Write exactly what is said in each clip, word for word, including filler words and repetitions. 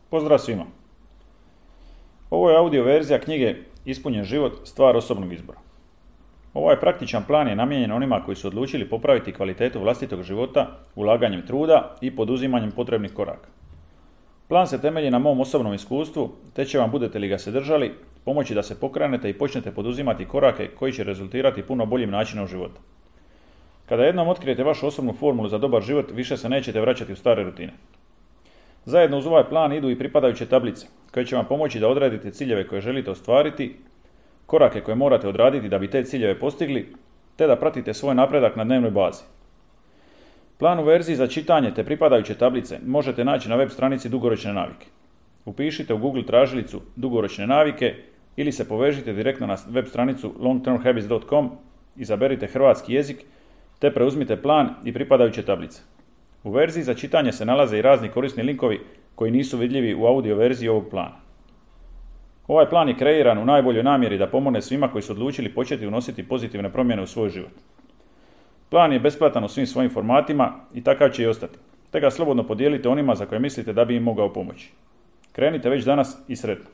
Pozdrav svima! Ovo je audio verzija knjige Ispunjen život, stvar osobnog izbora. Ovaj praktičan plan je namijenjen onima koji su odlučili popraviti kvalitetu vlastitog života ulaganjem truda i poduzimanjem potrebnih koraka. Plan se temelji na mom osobnom iskustvu, te će vam, budete li ga se držali, pomoći da se pokrenete i počnete poduzimati korake koji će rezultirati puno boljim načinom života. Kada jednom otkrijete vašu osobnu formulu za dobar život, više se nećete vraćati u stare rutine. Zajedno uz ovaj plan idu i pripadajuće tablice, koje će vam pomoći da odredite ciljeve koje želite ostvariti, korake koje morate odraditi da bi te ciljeve postigli, te da pratite svoj napredak na dnevnoj bazi. Plan u verziji za čitanje te pripadajuće tablice možete naći na web stranici Dugoročne navike. Upišite u Google tražilicu Dugoročne navike ili se povežite direktno na web stranicu long term habits dot com, izaberite hrvatski jezik te preuzmite plan i pripadajuće tablice. U verziji za čitanje se nalaze i razni korisni linkovi koji nisu vidljivi u audio verziji ovog plana. Ovaj plan je kreiran u najboljoj namjeri da pomogne svima koji su odlučili početi unositi pozitivne promjene u svoj život. Plan je besplatan u svim svojim formatima i takav će i ostati, te ga slobodno podijelite onima za koje mislite da bi im mogao pomoći. Krenite već danas i sretno.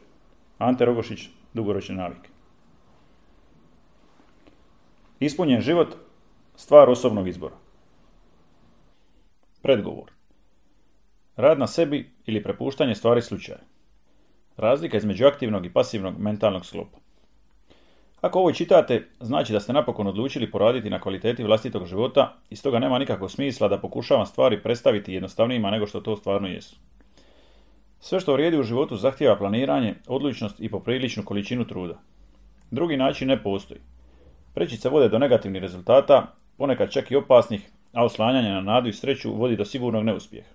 Ante Rogošić, Dugoročne navike. Ispunjen život, stvar osobnog izbora. Predgovor. Rad na sebi ili prepuštanje stvari slučaju. Razlika između aktivnog i pasivnog mentalnog sklopa. Ako ovo čitate, znači da ste napokon odlučili poraditi na kvaliteti vlastitog života i stoga nema nikakvog smisla da pokušavam stvari predstaviti jednostavnijima nego što to stvarno jesu. Sve što vrijedi u životu zahtijeva planiranje, odlučnost i popriličnu količinu truda. Drugi način ne postoji. Prečice vode do negativnih rezultata, ponekad čak i opasnih, a oslanjanje na nadu i sreću vodi do sigurnog neuspjeha.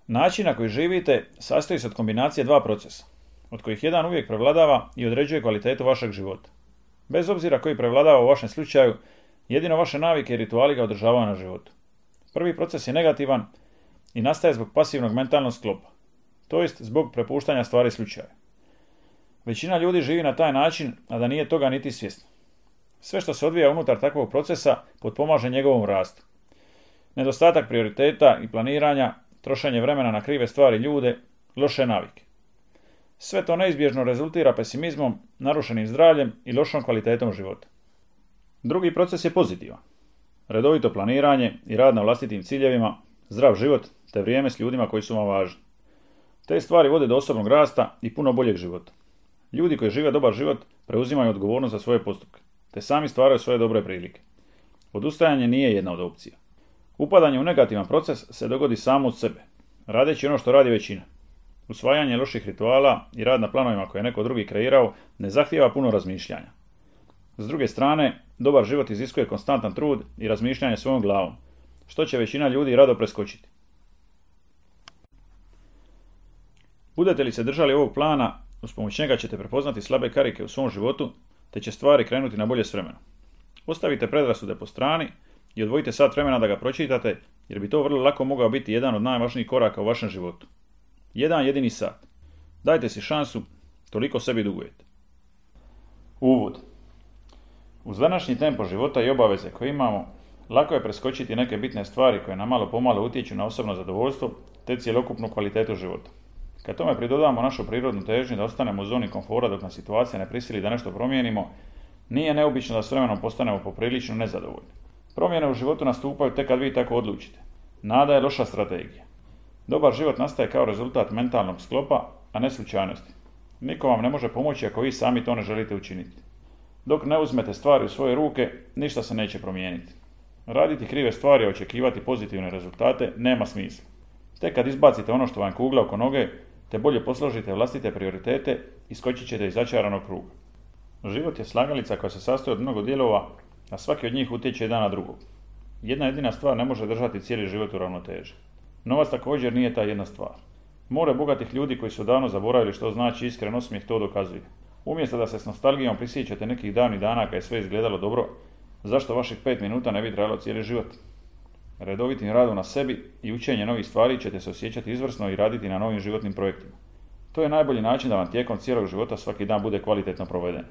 Način na koji živite sastoji se od kombinacije dva procesa, od kojih jedan uvijek prevladava i određuje kvalitetu vašeg života. Bez obzira koji prevladava u vašem slučaju, jedino vaše navike i rituali ga održavaju na životu. Prvi proces je negativan i nastaje zbog pasivnog mentalnog sklopa, to jest zbog prepuštanja stvari slučaju. Većina ljudi živi na taj način, a da nije toga niti svjesna. Sve što se odvija unutar takvog procesa potpomaže njegovom rastu. Nedostatak prioriteta i planiranja, trošenje vremena na krive stvari i ljude, loše navike. Sve to neizbježno rezultira pesimizmom, narušenim zdravljem i lošom kvalitetom života. Drugi proces je pozitivan. Redovito planiranje i rad na vlastitim ciljevima, zdrav život te vrijeme s ljudima koji su vam važni. Te stvari vode do osobnog rasta i puno boljeg života. Ljudi koji žive dobar život preuzimaju odgovornost za svoje postupke, te sami stvaraju svoje dobre prilike. Odustajanje nije jedna od opcija. Upadanje u negativan proces se dogodi samo od sebe, radeći ono što radi većina. Usvajanje loših rituala i rad na planovima koje je neko drugi kreirao ne zahtijeva puno razmišljanja. S druge strane, dobar život iziskuje konstantan trud i razmišljanje svojom glavom, što će većina ljudi rado preskočiti. Budete li se držali ovog plana, uz pomoć njega ćete prepoznati slabe karike u svom životu, te će stvari krenuti na bolje s vremenom. Ostavite predrasude po strani i odvojite sat vremena da ga pročitate, jer bi to vrlo lako mogao biti jedan od najvažnijih koraka u vašem životu. Jedan jedini sat. Dajte si šansu, toliko sebi dugujete. Uvod. Uz današnji tempo života i obaveze koje imamo, lako je preskočiti neke bitne stvari koje nam malo pomalo utječu na osobno zadovoljstvo te cjelokupnu kvalitetu života. Kad tome pridodamo našu prirodnu težnju da ostanemo u zoni komfora dok nas situacija ne prisili da nešto promijenimo, nije neobično da s vremenom postanemo poprilično nezadovoljni. Promjene u životu nastupaju tek kad vi tako odlučite. Nada je loša strategija. Dobar život nastaje kao rezultat mentalnog sklopa, a ne slučajnosti. Niko vam ne može pomoći ako vi sami to ne želite učiniti. Dok ne uzmete stvari u svoje ruke, ništa se neće promijeniti. Raditi krive stvari i očekivati pozitivne rezultate nema smisla. Tek kad izbacite ono što vam kugla oko noge, te bolje posložite vlastite prioritete, iskočit ćete iz začaranog kruga. Život je slagalica koja se sastoji od mnogo dijelova, a svaki od njih utječe jedan na drugog. Jedna jedina stvar ne može držati cijeli život u ravnoteži. Novac također nije ta jedna stvar. More bogatih ljudi koji su davno zaboravili što znači iskren osmijeh to dokazuje. Umjesto da se s nostalgijom prisjećate nekih davnih dana kad je sve izgledalo dobro, zašto vaših pet minuta ne bi trajalo cijeli život? Redovitim radom na sebi i učenje novih stvari ćete se osjećati izvrsno i raditi na novim životnim projektima. To je najbolji način da vam tijekom cijelog života svaki dan bude kvalitetno proveden.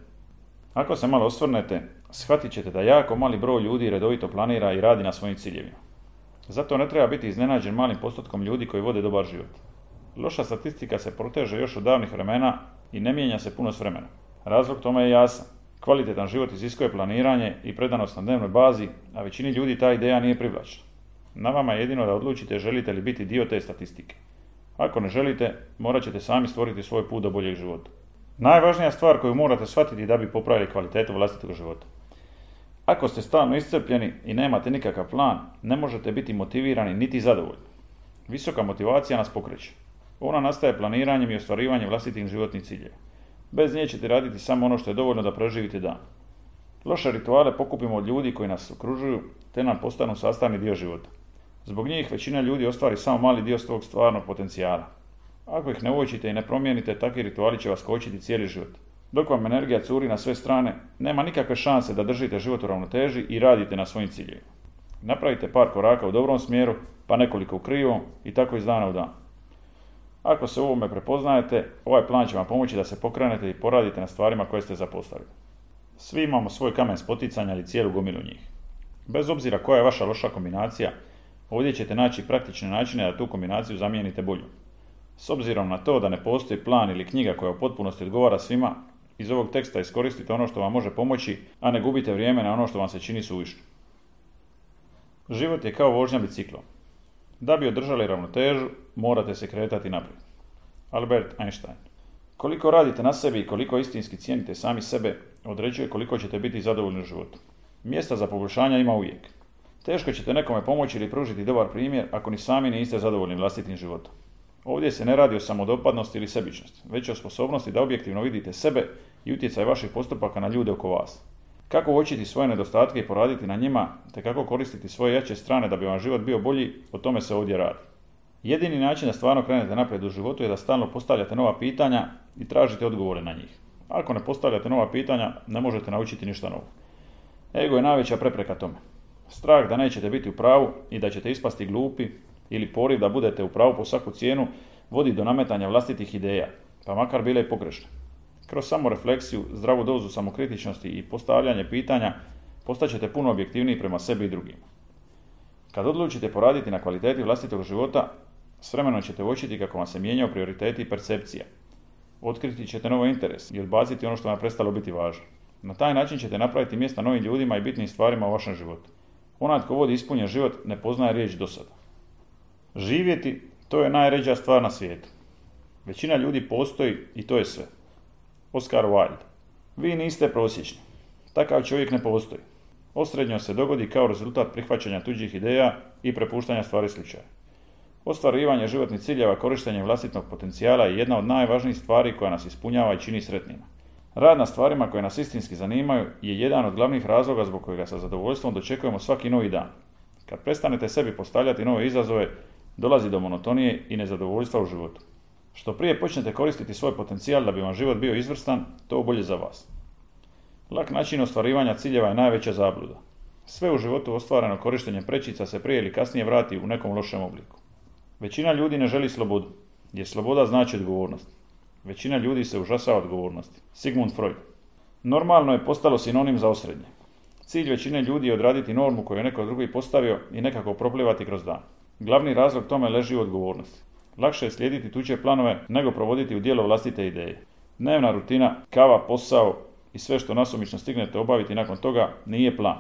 Ako se malo osvrnete, shvatit ćete da jako mali broj ljudi redovito planira i radi na svojim ciljevima. Zato ne treba biti iznenađen malim postotkom ljudi koji vode dobar život. Loša statistika se proteže još od davnih vremena i ne mijenja se puno s vremenom. Razlog tome je jasan. Kvalitetan život iziskuje planiranje i predanost na dnevnoj bazi, a većini ljudi ta ideja nije privlačna. Na vama je jedino da odlučite želite li biti dio te statistike. Ako ne želite, morat ćete sami stvoriti svoj put do boljeg života. Najvažnija stvar koju morate shvatiti da bi popravili kvalitetu vlastitog života. Ako ste stalno iscrpljeni i nemate nikakav plan, ne možete biti motivirani niti zadovoljni. Visoka motivacija nas pokreće. Ona nastaje planiranjem i ostvarivanjem vlastitih životnih ciljeva. Bez nje ćete raditi samo ono što je dovoljno da preživite dan. Loše rituale pokupimo od ljudi koji nas okružuju, te nam postanu sastavni dio života. Zbog njih većina ljudi ostvari samo mali dio svog stvarnog potencijala. Ako ih ne uočite i ne promijenite, takvi rituali će vas kočiti cijeli život. Dok vam energija curi na sve strane, nema nikakve šanse da držite život u ravnoteži i radite na svojim ciljevima. Napravite par koraka u dobrom smjeru, pa nekoliko u krivom i tako iz dana u dan. Ako se u ovome prepoznajete, ovaj plan će vam pomoći da se pokrenete i poradite na stvarima koje ste zapostavili. Svi imamo svoj kamen spoticanja ili cijelu gomilu njih. Bez obzira koja je vaša loša kombinacija, ovdje ćete naći praktične načine da tu kombinaciju zamijenite boljom. S obzirom na to da ne postoji plan ili knjiga koja u potpunosti odgovara svima, iz ovog teksta iskoristite ono što vam može pomoći, a ne gubite vrijeme na ono što vam se čini suvišno. Život je kao vožnja biciklom. Da bi održali ravnotežu, morate se kretati naprijed. Albert Einstein. Koliko radite na sebi i koliko istinski cijenite sami sebe, određuje koliko ćete biti zadovoljni u životu. Mjesta za poboljšanja ima uvijek. Teško ćete nekome pomoći ili pružiti dobar primjer ako ni sami niste zadovoljni vlastitim životom. Ovdje se ne radi o samodopadnosti ili sebičnosti, već o sposobnosti da objektivno vidite sebe i utjecaj vaših postupaka na ljude oko vas. Kako uočiti svoje nedostatke i poraditi na njima, te kako koristiti svoje jače strane da bi vam život bio bolji, o tome se ovdje radi. Jedini način da stvarno krenete naprijed u životu je da stalno postavljate nova pitanja i tražite odgovore na njih. Ako ne postavljate nova pitanja, ne možete naučiti ništa novo. Ego je najveća prepreka tome. Strah da nećete biti u pravu i da ćete ispasti glupi ili poriv da budete u pravu po svaku cijenu vodi do nametanja vlastitih ideja, pa makar bile i pogrešne. Kroz samorefleksiju, zdravu dozu samokritičnosti i postavljanje pitanja postaćete puno objektivniji prema sebi i drugima. Kad odlučite poraditi na kvaliteti vlastitog života, s vremenom ćete uočiti kako vam se mijenjaju prioriteti i percepcija. Otkriti ćete novi interes i odbaciti ono što vam je prestalo biti važno. Na taj način ćete napraviti mjesta novim ljudima i bitnim stvarima u vašem životu. Onaj tko vodi ispunjen život ne poznaje riječ dosada. Živjeti, to je najređa stvar na svijetu. Većina ljudi postoji i to je sve. Oscar Wilde. Vi niste prosječni. Takav čovjek ne postoji. Osrednjo se dogodi kao rezultat prihvaćanja tuđih ideja i prepuštanja stvari slučaja. Ostvarivanje životnih ciljeva korištenjem vlastitog potencijala je jedna od najvažnijih stvari koja nas ispunjava i čini sretnima. Rad na stvarima koje nas istinski zanimaju je jedan od glavnih razloga zbog kojega sa zadovoljstvom dočekujemo svaki novi dan. Kad prestanete sebi postavljati nove izazove, dolazi do monotonije i nezadovoljstva u životu. Što prije počnete koristiti svoj potencijal da bi vam život bio izvrstan, to bolje za vas. Lak način ostvarivanja ciljeva je najveća zabluda. Sve u životu ostvareno korištenjem prečica se prije ili kasnije vrati u nekom lošem obliku. Većina ljudi ne želi slobodu, jer sloboda znači odgovornost. Većina ljudi se užasava odgovornosti. Sigmund Freud. Normalno je postalo sinonim za osrednje. Cilj većine ljudi je odraditi normu koju je neko drugi postavio i nekako proplivati kroz dan. Glavni razlog tome leži u odgovornosti. Lakše je slijediti tuđe planove nego provoditi u djelo vlastite ideje. Dnevna rutina, kava, posao i sve što nasumično stignete obaviti nakon toga nije plan.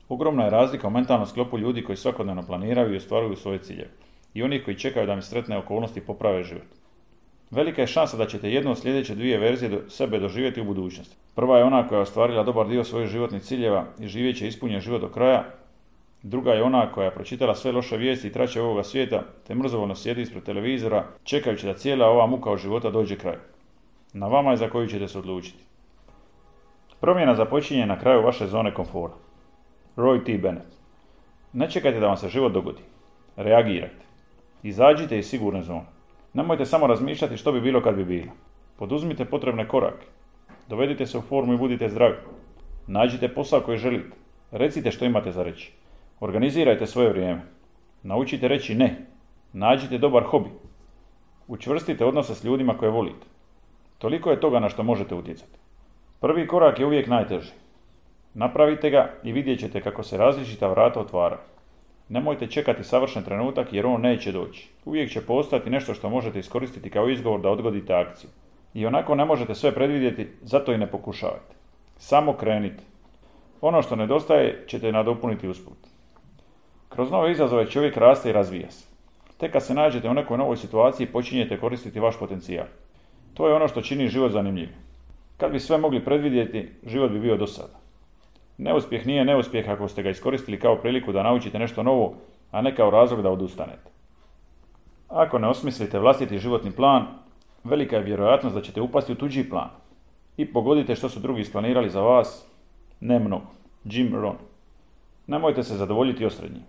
Ogromna je razlika u mentalnom sklopu ljudi koji svakodnevno planiraju i ostvaruju svoje ciljeve i onih koji čekaju da im sretne okolnosti poprave život. Velika je šansa da ćete jednu od sljedeće dvije verzije do sebe doživjeti u budućnosti. Prva je ona koja je ostvarila dobar dio svojih životnih ciljeva i živjet će ispunjen život do kraja. Druga je ona koja je pročitala sve loše vijesti i traće ovoga svijeta, te mrzovoljno sjedi ispred televizora, čekajući da cijela ova muka od života dođe kraju. Na vama je za koju ćete se odlučiti. Promjena započinje na kraju vaše zone komfora. Roy T. Bennett. Ne čekajte da vam se život dogodi. Reagirajte. Izađite iz sigurne zone. Nemojte samo razmišljati što bi bilo kad bi bilo. Poduzmite potrebne korake. Dovedite se u formu i budite zdravi. Nađite posao koji želite. Recite što imate za reći. Organizirajte svoje vrijeme. Naučite reći ne. Nađite dobar hobi. Učvrstite odnose s ljudima koje volite. Toliko je toga na što možete utjecati. Prvi korak je uvijek najteži. Napravite ga i vidjet ćete kako se različita vrata otvaraju. Nemojte čekati savršen trenutak jer on neće doći. Uvijek će postojati nešto što možete iskoristiti kao izgovor da odgodite akciju. I onako ne možete sve predvidjeti, zato i ne pokušavajte. Samo krenite. Ono što nedostaje ćete nadopuniti usput. Kroz nove izazove čovjek raste i razvija se. Tek kad se nađete u nekoj novoj situaciji počinjete koristiti vaš potencijal. To je ono što čini život zanimljivim. Kad bi sve mogli predvidjeti, život bi bio dosadan. Neuspjeh nije neuspjeh ako ste ga iskoristili kao priliku da naučite nešto novo, a ne kao razlog da odustanete. Ako ne osmislite vlastiti životni plan, velika je vjerojatnost da ćete upasti u tuđi plan. I pogodite što su drugi isplanirali za vas, ne mnogo. Jim Rohn. Nemojte se zadovoljiti osrednjim.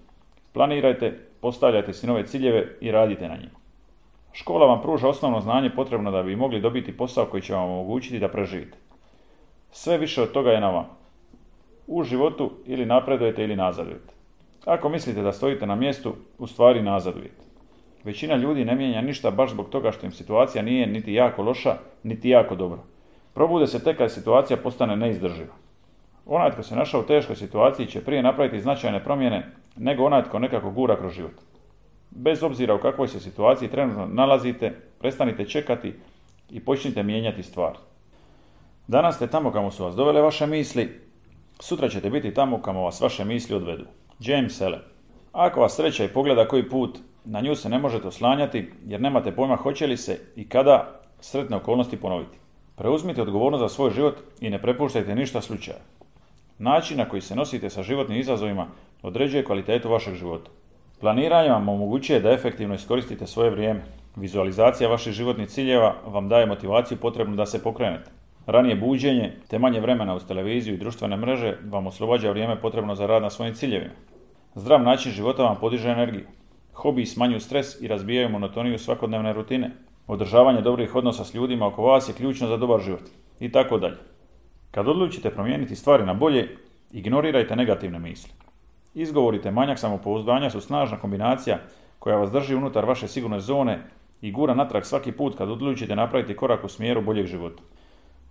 Planirajte, postavljajte si nove ciljeve i radite na njima. Škola vam pruža osnovno znanje potrebno da bi mogli dobiti posao koji će vam omogućiti da preživite. Sve više od toga je na vama. U životu ili napredujete ili nazadujete. Ako mislite da stojite na mjestu, u stvari nazadujete. Većina ljudi ne mijenja ništa baš zbog toga što im situacija nije niti jako loša, niti jako dobra. Probude se tek kad situacija postane neizdrživa. Onaj tko se našao u teškoj situaciji će prije napraviti značajne promjene nego onaj tko nekako gura kroz život. Bez obzira u kakvoj se situaciji trenutno nalazite, prestanite čekati i počnite mijenjati stvari. Danas ste tamo kamo su vas dovele vaše misli, sutra ćete biti tamo kamo vas vaše misli odvedu. James Allen. Ako vas sreća i pogleda koji put, na nju se ne možete oslanjati jer nemate pojma hoće li se i kada sretne okolnosti ponoviti. Preuzmite odgovornost za svoj život i ne prepuštajte ništa slučaju. Način na koji se nosite sa životnim izazovima određuje kvalitetu vašeg života. Planiranje vam omogućuje da efektivno iskoristite svoje vrijeme. Vizualizacija vaših životnih ciljeva vam daje motivaciju potrebnu da se pokrenete. Ranije buđenje te manje vremena uz televiziju i društvene mreže vam oslobađa vrijeme potrebno za rad na svojim ciljevima. Zdrav način života vam podiže energiju. Hobiji smanjuju stres i razbijaju monotoniju svakodnevne rutine. Održavanje dobrih odnosa s ljudima oko vas je ključno za dobar život. I tako dalje. Kad odlučite promijeniti stvari na bolje, ignorirajte negativne misli. Izgovorite manjak samopouzdanja su snažna kombinacija koja vas drži unutar vaše sigurne zone i gura natrag svaki put kad odlučite napraviti korak u smjeru boljeg života.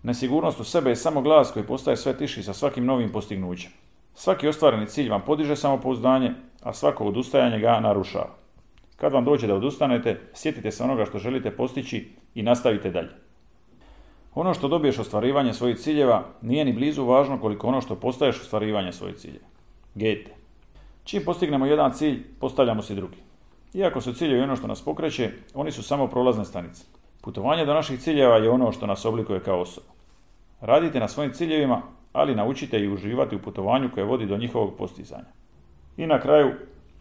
Nesigurnost u sebe je samo glas koji postaje sve tiši sa svakim novim postignućem. Svaki ostvareni cilj vam podiže samopouzdanje, a svako odustajanje ga narušava. Kad vam dođe da odustanete, sjetite se onoga što želite postići i nastavite dalje. Ono što dobiješ ostvarivanje svojih ciljeva nije ni blizu važno koliko ono što postaješ ostvarivanje svojih ciljeva. Goethe. Čim postignemo jedan cilj, postavljamo si drugi. Iako su ciljevi ono što nas pokreće, oni su samo prolazne stanice. Putovanje do naših ciljeva je ono što nas oblikuje kao osobu. Radite na svojim ciljevima, ali naučite i uživati u putovanju koje vodi do njihovog postizanja. I na kraju,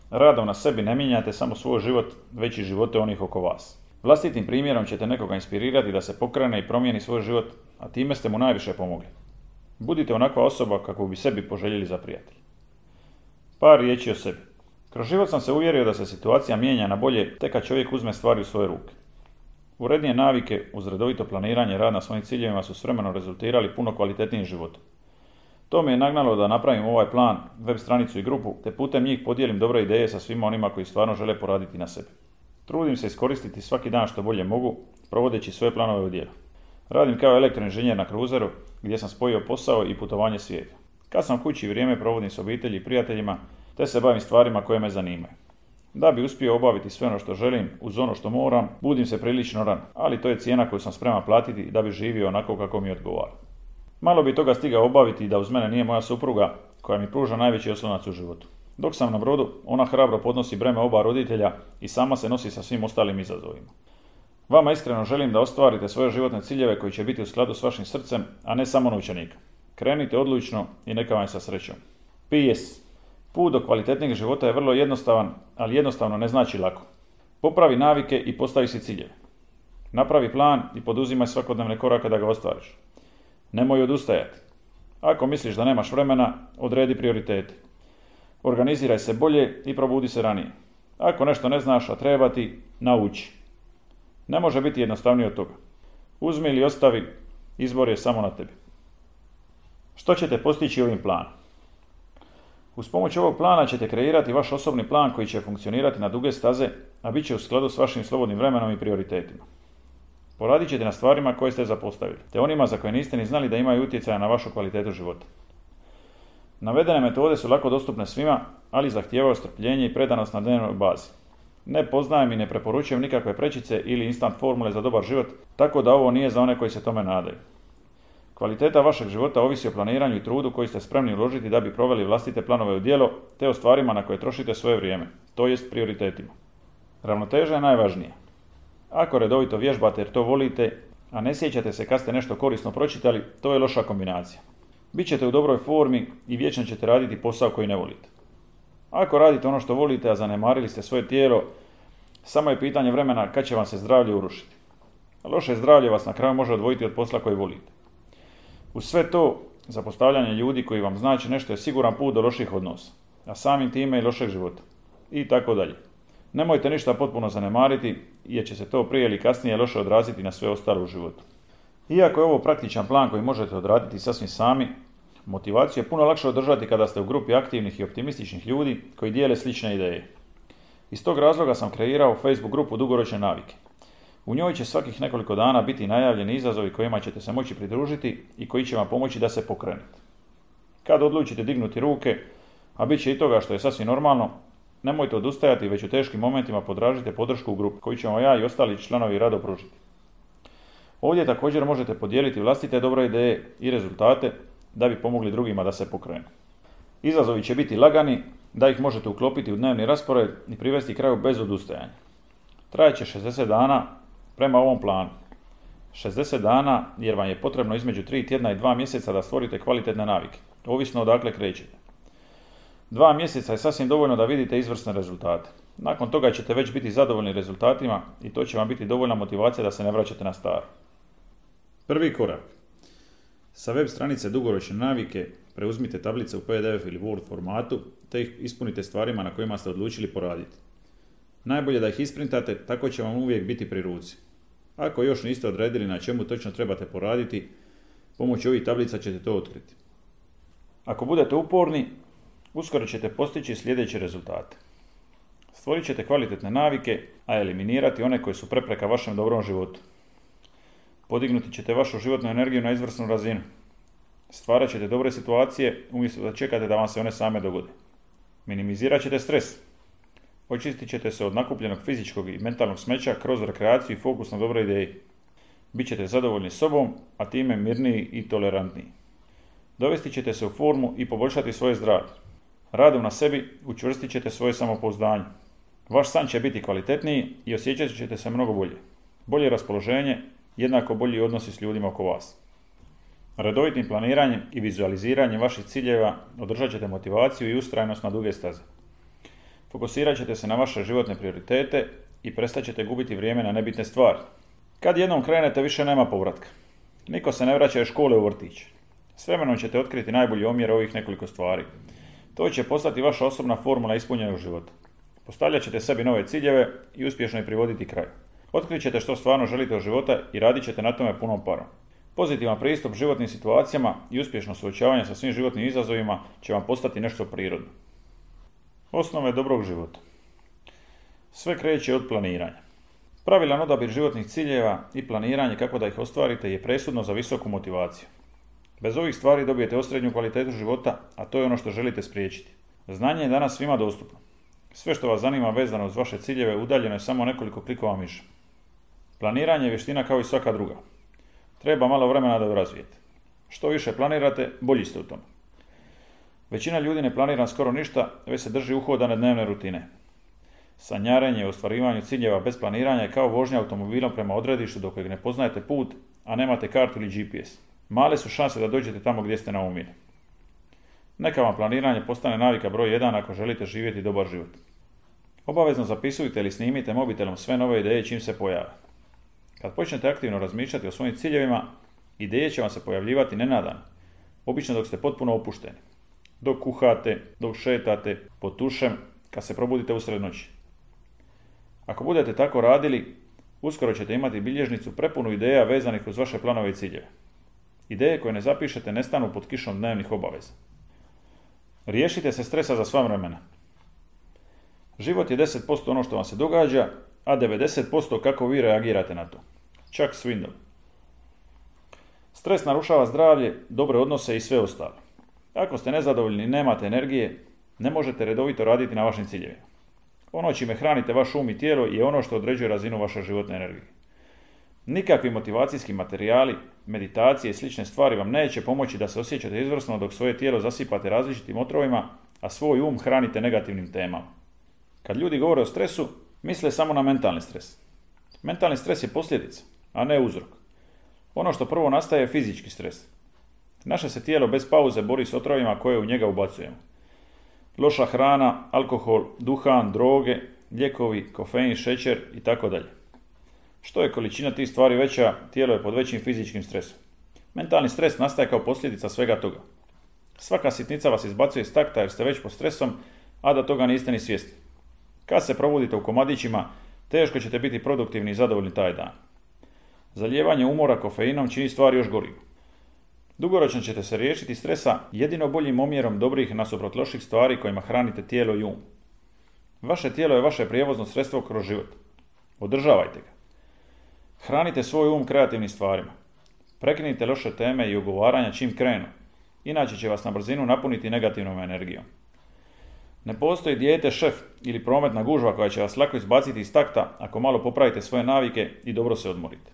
radom na sebi ne mijenjate samo svoj život, već i živote onih oko vas. Vlastitim primjerom ćete nekoga inspirirati da se pokrene i promijeni svoj život, a time ste mu najviše pomogli. Budite onakva osoba kako bi sebi poželjeli za prijatelj. Par riječi o sebi. Kroz život sam se uvjerio da se situacija mijenja na bolje tek kad čovjek uzme stvari u svoje ruke. Urednije navike uz redovito planiranje i rad na svojim ciljevima su s vremenom rezultirali puno kvalitetnijim životom. To me je nagnalo da napravim ovaj plan, web stranicu i grupu, te putem njih podijelim dobre ideje sa svima onima koji stvarno žele poraditi na sebi. Trudim se iskoristiti svaki dan što bolje mogu, provodeći svoje planove u djelo. Radim kao elektroinženjer na kruzeru, gdje sam spojio posao i putovanje svijeta. Kad sam kući, vrijeme provodim s obitelji i prijateljima, te se bavim stvarima koje me zanimaju. Da bi uspio obaviti sve ono što želim, uz ono što moram, budim se prilično rano, ali to je cijena koju sam spreman platiti da bi živio onako kako mi odgovara. Malo bi toga stigao obaviti da uz mene nije moja supruga, koja mi pruža najveći oslonac u životu. Dok sam na brodu, ona hrabro podnosi breme oba roditelja i sama se nosi sa svim ostalim izazovima. Vama iskreno želim da ostvarite svoje životne ciljeve koji će biti u skladu s vašim srcem, a ne samo novčanika. Krenite odlučno i neka vam sa srećom. P S. Put do kvalitetnijeg života je vrlo jednostavan, ali jednostavno ne znači lako. Popravi navike i postavi si ciljeve. Napravi plan i poduzimaj svakodnevne korake da ga ostvariš. Nemoj odustajati. Ako misliš da nemaš vremena, odredi prioritete. Organiziraj se bolje i probudi se ranije. Ako nešto ne znaš, a treba ti, nauči. Ne može biti jednostavnije od toga. Uzmi ili ostavi, izbor je samo na tebi. Što ćete postići ovim planom? Uz pomoć ovog plana ćete kreirati vaš osobni plan koji će funkcionirati na duge staze, a bit će u skladu s vašim slobodnim vremenom i prioritetima. Poradit ćete na stvarima koje ste zapostavili, te onima za koje niste ni znali da imaju utjecaja na vašu kvalitetu života. Navedene metode su lako dostupne svima, ali zahtijevaju strpljenje i predanost na dnevnoj bazi. Ne poznajem i ne preporučujem nikakve prečice ili instant formule za dobar život, tako da ovo nije za one koji se tome nadaju. Kvaliteta vašeg života ovisi o planiranju i trudu koji ste spremni uložiti da bi proveli vlastite planove u djelo, te o stvarima na koje trošite svoje vrijeme, to jest prioritetima. Ravnoteža je najvažnija. Ako redovito vježbate jer to volite, a ne sjećate se kad ste nešto korisno pročitali, to je loša kombinacija. Bićete u dobroj formi i vječno ćete raditi posao koji ne volite. Ako radite ono što volite, a zanemarili ste svoje tijelo, samo je pitanje vremena kad će vam se zdravlje urušiti. Loše zdravlje vas na kraju može odvojiti od posla koji volite. Uz sve to, zapostavljanje ljudi koji vam znači nešto je siguran put do loših odnosa, a samim time i lošeg života. I tako dalje. Nemojte ništa potpuno zanemariti, jer će se to prije ili kasnije loše odraziti na sve ostalo u životu. Iako je ovo praktičan plan koji možete odraditi sasvim sami, motivaciju je puno lakše održati kada ste u grupi aktivnih i optimističnih ljudi koji dijele slične ideje. Iz tog razloga sam kreirao Facebook grupu Dugoročne navike. U njoj će svakih nekoliko dana biti najavljeni izazovi kojima ćete se moći pridružiti i koji će vam pomoći da se pokrenete. Kad odlučite dignuti ruke, a bit će i toga što je sasvim normalno, nemojte odustajati, već u teškim momentima potražite podršku u grupi koju ćemo ja i ostali članovi rado pružiti. Ovdje također možete podijeliti vlastite dobre ideje i rezultate da bi pomogli drugima da se pokrenu. Izazovi će biti lagani, da ih možete uklopiti u dnevni raspored i privesti kraju bez odustajanja. Trajeće šezdeset dana prema ovom planu. šezdeset dana jer vam je potrebno između tri tjedna i dva mjeseca da stvorite kvalitetne navike, ovisno odakle krećete. Dva mjeseca je sasvim dovoljno da vidite izvrsne rezultate. Nakon toga ćete već biti zadovoljni rezultatima i to će vam biti dovoljna motivacija da se ne vraćate na staro. Prvi korak. Sa web stranice Dugoročne navike preuzmite tablice u P D F ili Word formatu te ih ispunite stvarima na kojima ste odlučili poraditi. Najbolje da ih isprintate, tako će vam uvijek biti pri ruci. Ako još niste odredili na čemu točno trebate poraditi, pomoću ovih tablica ćete to otkriti. Ako budete uporni, uskoro ćete postići sljedeće rezultate. Stvorit ćete kvalitetne navike, a eliminirati one koje su prepreka vašem dobrom životu. Podignuti ćete vašu životnu energiju na izvrsnu razinu. Stvarat ćete dobre situacije umjesto da čekate da vam se one same dogode. Minimizirat ćete stres. Očistit ćete se od nakupljenog fizičkog i mentalnog smeća kroz rekreaciju i fokus na dobre ideje. Bićete zadovoljni sobom, a time mirniji i tolerantniji. Dovesti ćete se u formu i poboljšati svoje zdravlje. Radom na sebi učvrstit ćete svoje samopouzdanje. Vaš san će biti kvalitetniji i osjećat ćete se mnogo bolje. Bolje raspoloženje, jednako bolji odnosi s ljudima oko vas. Redovitim planiranjem i vizualiziranjem vaših ciljeva održat ćete motivaciju i ustrajnost na duge staze. Fokusirat ćete se na vaše životne prioritete i prestat ćete gubiti vrijeme na nebitne stvari. Kad jednom krenete, više nema povratka. Niko se ne vraća iz škole u vrtić. S vremenom ćete otkriti najbolji omjer ovih nekoliko stvari. To će postati vaša osobna formula ispunjenog života. Postavljat ćete sebi nove ciljeve i uspješno ih privoditi kraju. Otkrit ćete što stvarno želite od života i radit ćete na tome punom parom. Pozitivan pristup životnim situacijama i uspješno suočavanje sa svim životnim izazovima će vam postati nešto prirodno. Osnove dobrog života. Sve kreće od planiranja. Pravilan odabir životnih ciljeva i planiranje kako da ih ostvarite je presudno za visoku motivaciju. Bez ovih stvari dobijete osrednju kvalitetu života, a to je ono što želite spriječiti. Znanje je danas svima dostupno. Sve što vas zanima vezano uz vaše ciljeve udaljeno je samo nekoliko klikova miša. Planiranje je vještina kao i svaka druga. Treba malo vremena da ju razvijete. Što više planirate, bolji ste u tome. Većina ljudi ne planira skoro ništa, već se drži uhodane dnevne rutine. Sanjarenje o ostvarivanju ciljeva bez planiranja je kao vožnja automobilom prema odredištu do kojeg ne poznajete put, a nemate kartu ili G P S. Male su šanse da dođete tamo gdje ste naumili. Neka vam planiranje postane navika broj jedan ako želite živjeti dobar život. Obavezno zapisujte ili snimite mobitelom sve nove ideje čim se pojave. Kad počnete aktivno razmišljati o svojim ciljevima, ideje će vam se pojavljivati nenadano, obično dok ste potpuno opušteni. Dok kuhate, dok šetate, pod tušem, kad se probudite usred noći. Ako budete tako radili, uskoro ćete imati bilježnicu prepunu ideja vezanih uz vaše planove i ciljeve. Ideje koje ne zapišete nestanu pod kišom dnevnih obaveza. Riješite se stresa za sva vremena. Život je deset posto ono što vam se događa, a devedeset posto kako vi reagirate na to. Chuck Swindoll. Stres narušava zdravlje, dobre odnose i sve ostalo. Ako ste nezadovoljni i nemate energije, ne možete redovito raditi na vašim ciljevima. Ono čime hranite vaš um i tijelo je ono što određuje razinu vaše životne energije. Nikakvi motivacijski materijali, meditacije i slične stvari vam neće pomoći da se osjećate izvrsno dok svoje tijelo zasipate različitim otrovima, a svoj um hranite negativnim temama. Kad ljudi govore o stresu, misle samo na mentalni stres. Mentalni stres je posljedica, a ne uzrok. Ono što prvo nastaje je fizički stres. Naše se tijelo bez pauze bori s otrovima koje u njega ubacujemo. Loša hrana, alkohol, duhan, droge, lijekovi, kofein, šećer i tako dalje. Što je količina tih stvari veća, tijelo je pod većim fizičkim stresom. Mentalni stres nastaje kao posljedica svega toga. Svaka sitnica vas izbacuje iz takta jer ste već pod stresom, a da toga niste ni svjesni. Kad se probudite u komadićima, teško ćete biti produktivni i zadovoljni taj dan. Zalijevanje umora kofeinom čini stvari još gorim. Dugoročno ćete se riješiti stresa jedino boljim omjerom dobrih nasuprot loših stvari kojima hranite tijelo i um. Vaše tijelo je vaše prijevozno sredstvo kroz život. Održavajte ga. Hranite svoj um kreativnim stvarima. Prekinite loše teme i ugovaranja čim krenu, inače će vas na brzinu napuniti negativnom energijom. Ne postoji dijete šef ili prometna gužva koja će vas lako izbaciti iz takta ako malo popravite svoje navike i dobro se odmorite.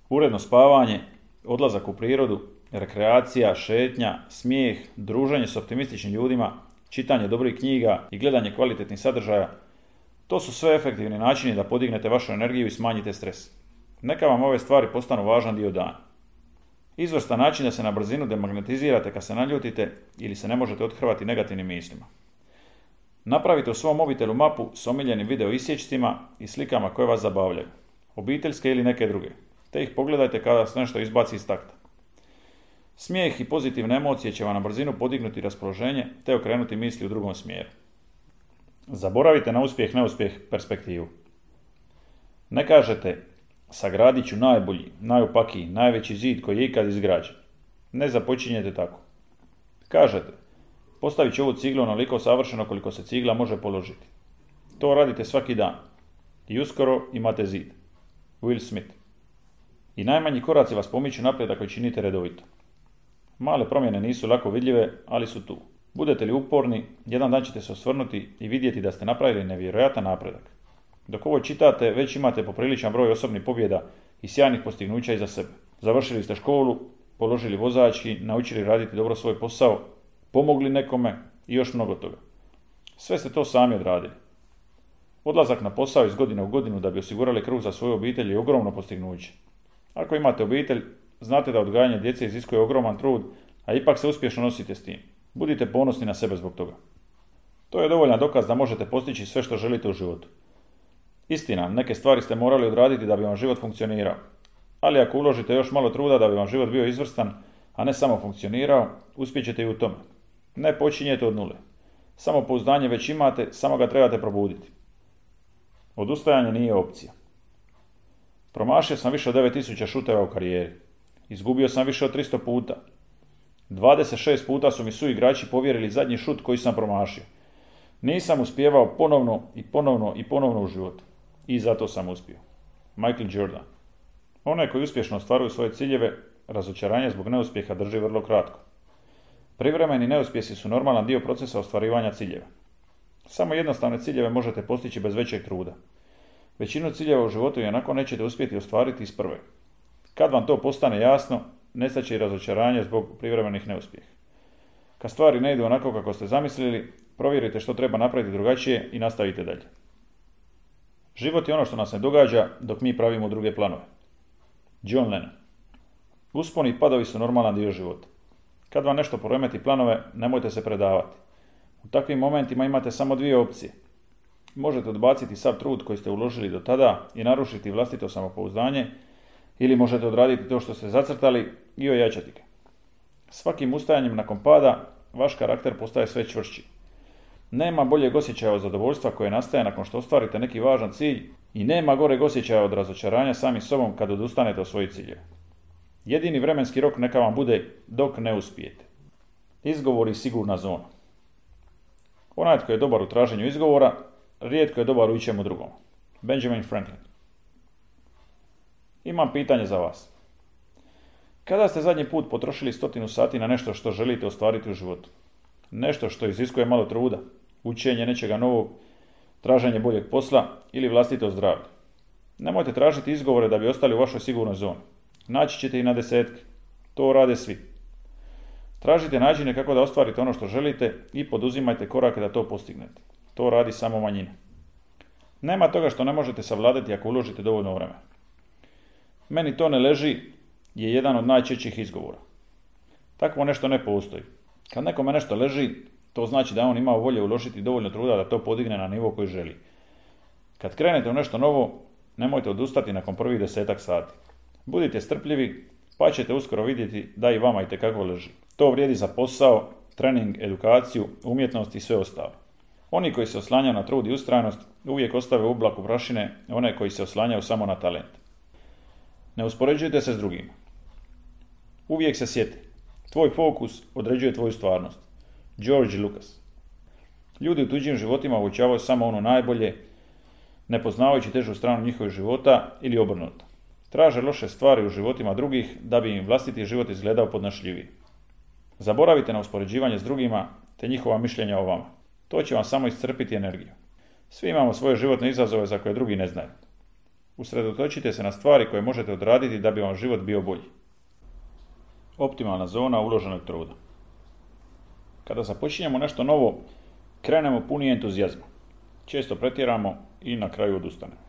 Uredno spavanje, odlazak u prirodu, rekreacija, šetnja, smijeh, druženje s optimističnim ljudima, čitanje dobrih knjiga i gledanje kvalitetnih sadržaja, to su sve efektivni načini da podignete vašu energiju i smanjite stres. Neka vam ove stvari postanu važan dio dana. Izvrstan način da se na brzinu demagnetizirate kad se naljutite ili se ne možete othrvati negativnim mislima. Napravite u svom mobitelu mapu s omiljenim video isječcima i slikama koje vas zabavljaju, obiteljske ili neke druge, te ih pogledajte kada se nešto izbaci iz takta. Smijeh i pozitivne emocije će vam na brzinu podignuti raspoloženje te okrenuti misli u drugom smjeru. Zaboravite na uspjeh, neuspjeh perspektivu. Ne kažete sagradit ću najbolji, najopakiji, najveći zid koji je ikad izgrađen. Ne započinjete tako. Kažete postavit ću ovu ciglu onoliko savršeno koliko se cigla može položiti. To radite svaki dan. I uskoro imate zid. Will Smith. I najmanji koraci vas pomiču naprijed ako činite redovito. Male promjene nisu lako vidljive, ali su tu. Budete li uporni, jedan dan ćete se osvrnuti i vidjeti da ste napravili nevjerojatan napredak. Dok ovo čitate, već imate popriličan broj osobnih pobjeda i sjajnih postignuća iza sebe. Završili ste školu, položili vozački, naučili raditi dobro svoj posao, pomogli nekome i još mnogo toga. Sve ste to sami odradili. Odlazak na posao iz godine u godinu da bi osigurali kruh za svoju obitelj je ogromno postignuće. Ako imate obitelj, znate da odgajanje djece iziskuje ogroman trud, a ipak se uspješno nosite s tim. Budite ponosni na sebe zbog toga. To je dovoljan dokaz da možete postići sve što želite u životu. Istina, neke stvari ste morali odraditi da bi vam život funkcionirao. Ali ako uložite još malo truda da bi vam život bio izvrstan, a ne samo funkcionirao, uspjećete i u tome. Ne počinjete od nule. Samopouzdanje već imate, samo ga trebate probuditi. Odustajanje nije opcija. Promašio sam više od devet tisuća šuteva u karijeri. Izgubio sam više od tristo puta. dvadeset šest puta su mi suigrači povjerili zadnji šut koji sam promašio. Nisam uspijevao ponovno i ponovno i ponovno u životu. I zato sam uspio. Michael Jordan. Onaj koji uspješno ostvaruju svoje ciljeve, razočaranje zbog neuspjeha drži vrlo kratko. Privremeni neuspjesi su normalan dio procesa ostvarivanja ciljeva. Samo jednostavne ciljeve možete postići bez većeg truda. Većinu ciljeva u životu i onako nećete uspjeti ostvariti iz prve. Kad vam to postane jasno, nestaće i razočaranje zbog privremenih neuspjeha. Kad stvari ne idu onako kako ste zamislili, provjerite što treba napraviti drugačije i nastavite dalje. Život je ono što nas ne događa dok mi pravimo druge planove. John Lennon. Usponi i padovi su normalan dio života. Kad vam nešto poremeti planove, nemojte se predavati. U takvim momentima imate samo dvije opcije. Možete odbaciti sav trud koji ste uložili do tada i narušiti vlastito samopouzdanje, ili možete odraditi to što ste zacrtali i ojačati ga. Svakim ustajanjem nakon pada, vaš karakter postaje sve čvršći. Nema boljeg osjećaja od zadovoljstva koje nastaje nakon što ostvarite neki važan cilj i nema goreg osjećaja od razočaranja sami sobom kad odustanete od svojih ciljeva. Jedini vremenski rok neka vam bude dok ne uspijete. Izgovor i sigurna zona. Onaj tko je dobar u traženju izgovora, rijetko je dobar u ičemu drugom. Benjamin Franklin. Imam pitanje za vas. Kada ste zadnji put potrošili stotinu sati na nešto što želite ostvariti u životu? Nešto što iziskuje malo truda, učenje nečega novog, traženje boljeg posla ili vlastito zdravlje. Nemojte tražiti izgovore da bi ostali u vašoj sigurnoj zoni. Naći ćete i na desetke. To rade svi. Tražite načine kako da ostvarite ono što želite i poduzimajte korake da to postignete. To radi samo manjina. Nema toga što ne možete savladati ako uložite dovoljno vremena. Meni to ne leži je jedan od najčešćih izgovora. Takvo nešto ne postoji. Kad nekome nešto leži, to znači da on imao volje uložiti dovoljno truda da to podigne na nivo koji želi. Kad krenete u nešto novo, nemojte odustati nakon prvih desetak sati. Budite strpljivi, pa ćete uskoro vidjeti da i vama itekako leži. To vrijedi za posao, trening, edukaciju, umjetnost i sve ostalo. Oni koji se oslanjaju na trud i ustrajnost uvijek ostave u oblaku prašine one koji se oslanjaju samo na talent. Ne uspoređujte se s drugima. Uvijek se sjeti. Tvoj fokus određuje tvoju stvarnost. George Lucas. Ljudi u tuđim životima uočavaju samo ono najbolje, ne poznavajući težu stranu njihovih života ili obrnuto. Traže loše stvari u životima drugih da bi im vlastiti život izgledao podnošljiviji. Zaboravite na uspoređivanje s drugima te njihova mišljenja o vama. To će vam samo iscrpiti energiju. Svi imamo svoje životne izazove za koje drugi ne znaju. Usredotočite se na stvari koje možete odraditi da bi vam život bio bolji. Optimalna zona uloženog truda. Kada započinjemo nešto novo, krenemo puni entuzijazma. Često pretjeramo i na kraju odustanemo.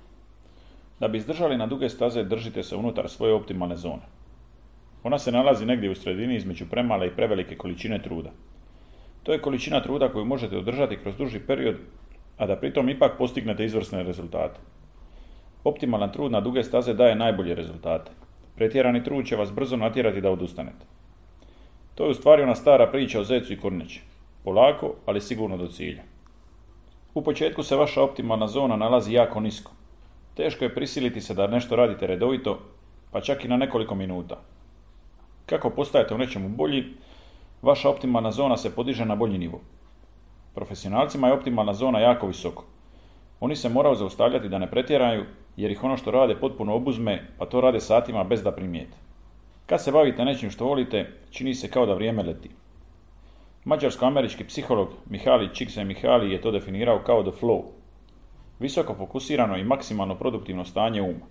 Da bi izdržali na duge staze, držite se unutar svoje optimalne zone. Ona se nalazi negdje u sredini između premale i prevelike količine truda. To je količina truda koju možete održati kroz duži period, a da pritom ipak postignete izvrsne rezultate. Optimalan trud na duge staze daje najbolje rezultate. Pretjerani trud će vas brzo natjerati da odustanete. To je u stvari ona stara priča o zecu i kornjači. Polako, ali sigurno do cilja. U početku se vaša optimalna zona nalazi jako nisko. Teško je prisiliti se da nešto radite redovito, pa čak i na nekoliko minuta. Kako postajete u nečemu bolji, vaša optimalna zona se podiže na bolji nivo. Profesionalcima je optimalna zona jako visoko. Oni se moraju zaustavljati da ne pretjeraju, jer ih ono što rade potpuno obuzme, pa to rade satima bez da primijete. Kad se bavite nečim što volite, čini se kao da vrijeme leti. Mađarsko-američki psiholog Mihaly Csikszentmihalyi je to definirao kao the flow. Visoko fokusirano i maksimalno produktivno stanje uma.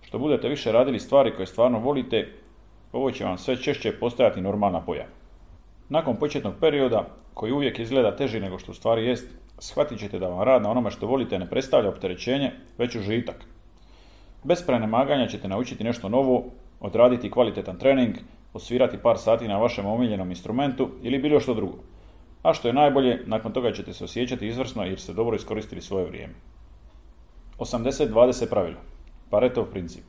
Što budete više radili stvari koje stvarno volite, ovo će vam sve češće postajati normalna pojava. Nakon početnog perioda, koji uvijek izgleda teži nego što u stvari jest, shvatit ćete da vam rad na onome što volite ne predstavlja opterećenje, već užitak. Bez prenemaganja ćete naučiti nešto novo, odraditi kvalitetan trening, osvirati par sati na vašem omiljenom instrumentu ili bilo što drugo. A što je najbolje, nakon toga ćete se osjećati izvrsno jer ste dobro iskoristili svoje vrijeme. osamdeset dvadeset pravilo. Paretov princip.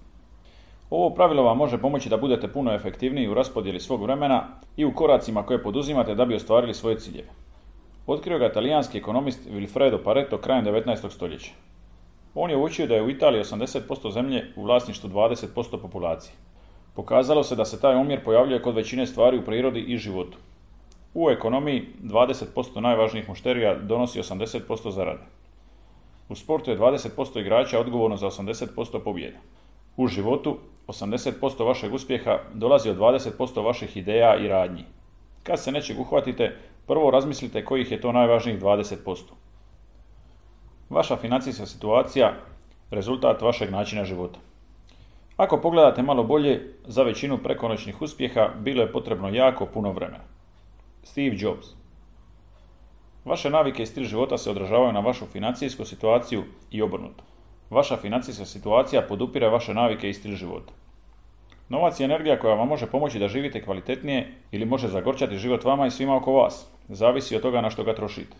Ovo pravilo vam može pomoći da budete puno efektivniji u raspodjeli svog vremena i u koracima koje poduzimate da bi ostvarili svoje ciljeve. Otkrio ga talijanski ekonomist Vilfredo Pareto krajem devetnaestog stoljeća. On je uočio da je u Italiji osamdeset posto zemlje u vlasništvu dvadeset posto populacije. Pokazalo se da se taj omjer pojavljuje kod većine stvari u prirodi i životu. U ekonomiji dvadeset posto najvažnijih mušterija donosi osamdeset posto zarade. U sportu je dvadeset posto igrača odgovorno za osamdeset posto pobjeda. U životu osamdeset posto vašeg uspjeha dolazi od dvadeset posto vaših ideja i radnji. Kad se nečeg uhvatite, prvo razmislite kojih je to najvažnijih dvadeset posto. Vaša financijska situacija rezultat vašeg načina života. Ako pogledate malo bolje, za većinu prekonoćnih uspjeha bilo je potrebno jako puno vremena. Steve Jobs. Vaše navike i stil života se odražavaju na vašu financijsku situaciju i obrnuto. Vaša financijska situacija podupire vaše navike i stil života. Novac je energija koja vam može pomoći da živite kvalitetnije ili može zagorčati život vama i svima oko vas. Zavisi od toga na što ga trošite.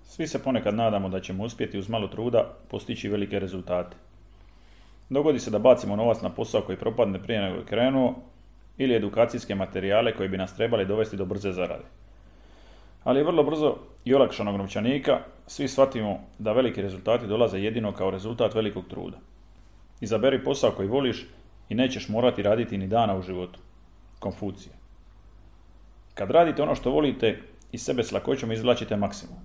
Svi se ponekad nadamo da ćemo uspjeti uz malo truda postići velike rezultate. Dogodi se da bacimo novac na posao koji propadne prije nego je krenuo ili edukacijske materijale koji bi nas trebali dovesti do brze zarade. Ali vrlo brzo i olakšanog novčanika svi shvatimo da veliki rezultati dolaze jedino kao rezultat velikog truda. Izaberi posao koji voliš i nećeš morati raditi ni dana u životu. Konfucije. Kad radite ono što volite, iz sebe s lakoćom izvlačite maksimum.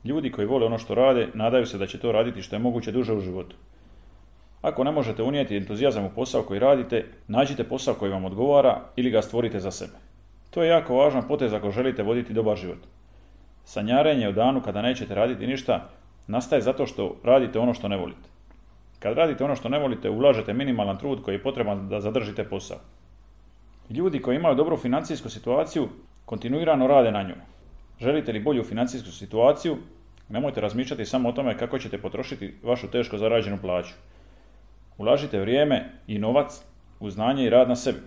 Ljudi koji vole ono što rade, nadaju se da će to raditi što je moguće duže u životu. Ako ne možete unijeti entuzijazam u posao koji radite, nađite posao koji vam odgovara ili ga stvorite za sebe. To je jako važan potez ako želite voditi dobar život. Sanjarenje o danu kada nećete raditi ništa nastaje zato što radite ono što ne volite. Kad radite ono što ne volite, ulažete minimalan trud koji je potreban da zadržite posao. Ljudi koji imaju dobru financijsku situaciju kontinuirano rade na njoj. Želite li bolju financijsku situaciju, nemojte razmišljati samo o tome kako ćete potrošiti vašu teško zarađenu plaću. Ulažite vrijeme i novac u znanje i rad na sebi.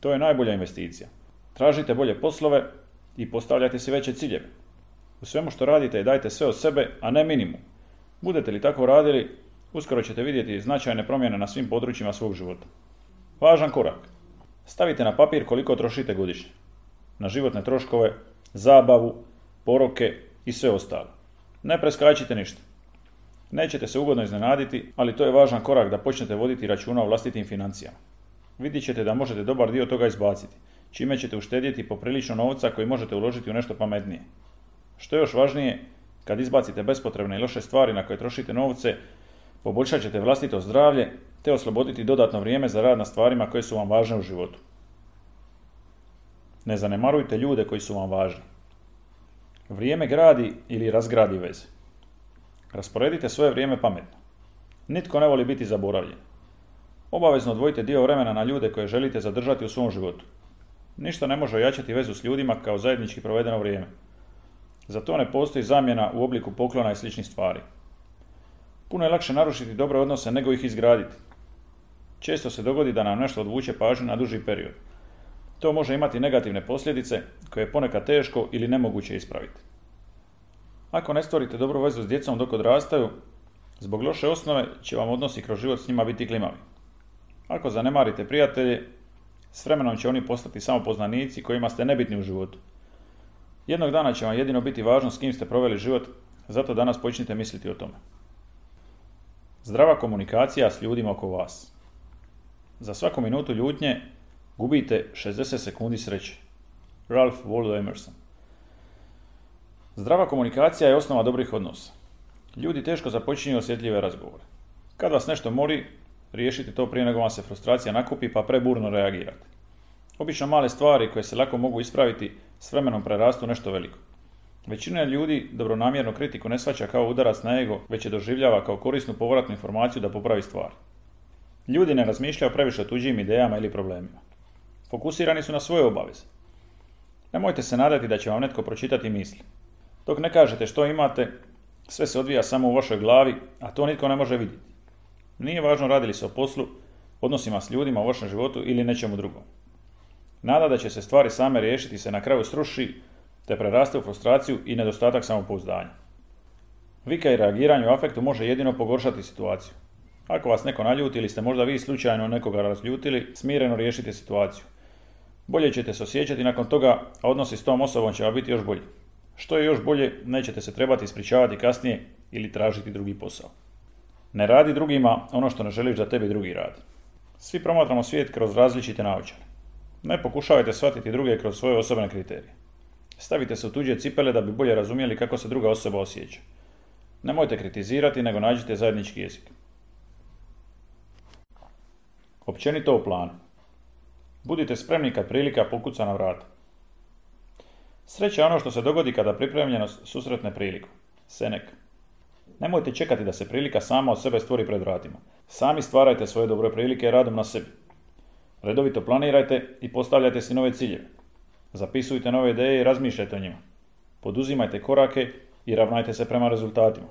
To je najbolja investicija. Tražite bolje poslove i postavljajte si veće ciljeve. U svemu što radite dajte sve od sebe, a ne minimum. Budete li tako radili, uskoro ćete vidjeti značajne promjene na svim područjima svog života. Važan korak. Stavite na papir koliko trošite godišnje. Na životne troškove, zabavu, poroke i sve ostalo. Ne preskačite ništa. Nećete se ugodno iznenaditi, ali to je važan korak da počnete voditi računa o vlastitim financijama. Vidjet ćete da možete dobar dio toga izbaciti, čime ćete uštedjeti poprilično novca koji možete uložiti u nešto pametnije. Što je još važnije, kad izbacite bespotrebne i loše stvari na koje trošite novce, poboljšat ćete vlastito zdravlje te osloboditi dodatno vrijeme za rad na stvarima koje su vam važne u životu. Ne zanemarujte ljude koji su vam važni. Vrijeme gradi ili razgradi veze. Rasporedite svoje vrijeme pametno. Nitko ne voli biti zaboravljen. Obavezno odvojite dio vremena na ljude koje želite zadržati u svom životu. Ništa ne može ojačati vezu s ljudima kao zajednički provedeno vrijeme. Za to ne postoji zamjena u obliku poklona i sličnih stvari. Puno je lakše narušiti dobre odnose nego ih izgraditi. Često se dogodi da nam nešto odvuče pažnju na duži period. To može imati negativne posljedice koje je ponekad teško ili nemoguće ispraviti. Ako ne stvorite dobru vezu s djecom dok odrastaju, zbog loše osnove će vam odnosi kroz život s njima biti klimavi. Ako zanemarite prijatelje, s vremenom će oni postati samo poznanici kojima ste nebitni u životu. Jednog dana će vam jedino biti važno s kim ste proveli život, zato danas počnite misliti o tome. Zdrava komunikacija s ljudima oko vas. Za svaku minutu ljutnje gubite šezdeset sekundi sreće. Ralph Waldo Emerson. Zdrava komunikacija je osnova dobrih odnosa. Ljudi teško započinju osjetljive razgovore. Kad vas nešto mori, riješite to prije nego vam se frustracija nakupi pa preburno reagirate. Obično male stvari koje se lako mogu ispraviti s vremenom prerastu nešto veliko. Većina ljudi dobronamjernu kritiku ne shvaća kao udarac na ego, već je doživljava kao korisnu povratnu informaciju da popravi stvar. Ljudi ne razmišljaju previše o tuđim idejama ili problemima. Fokusirani su na svoje obaveze. Nemojte se nadati da će vam netko pročitati misli. Dok ne kažete što imate, sve se odvija samo u vašoj glavi, a to nitko ne može vidjeti. Nije važno radi li se o poslu, odnosima s ljudima u vašem životu ili nečemu drugom. Nada da će se stvari same riješiti se na kraju sruši, te preraste u frustraciju i nedostatak samopouzdanja. Vika i reagiranje u afektu može jedino pogoršati situaciju. Ako vas neko naljuti ili ste možda vi slučajno nekoga razljutili, smireno riješite situaciju. Bolje ćete se osjećati nakon toga, a odnosi s tom osobom će vam biti još bolji. Što je još bolje, nećete se trebati ispričavati kasnije ili tražiti drugi posao. Ne radi drugima ono što ne želiš da tebi drugi radi. Svi promatramo svijet kroz različite naočale. Ne pokušavajte shvatiti druge kroz svoje osobne kriterije. Stavite se u tuđe cipele da bi bolje razumjeli kako se druga osoba osjeća. Nemojte kritizirati, nego nađite zajednički jezik. Općenito o planu. Budite spremni kad prilika pokuca na vrata. Sreća je ono što se dogodi kada pripremljenost susretne priliku. Seneca. Nemojte čekati da se prilika sama od sebe stvori pred vratima. Sami stvarajte svoje dobre prilike radom na sebi. Redovito planirajte i postavljajte si nove ciljeve. Zapisujte nove ideje i razmišljajte o njima. Poduzimajte korake i ravnajte se prema rezultatima.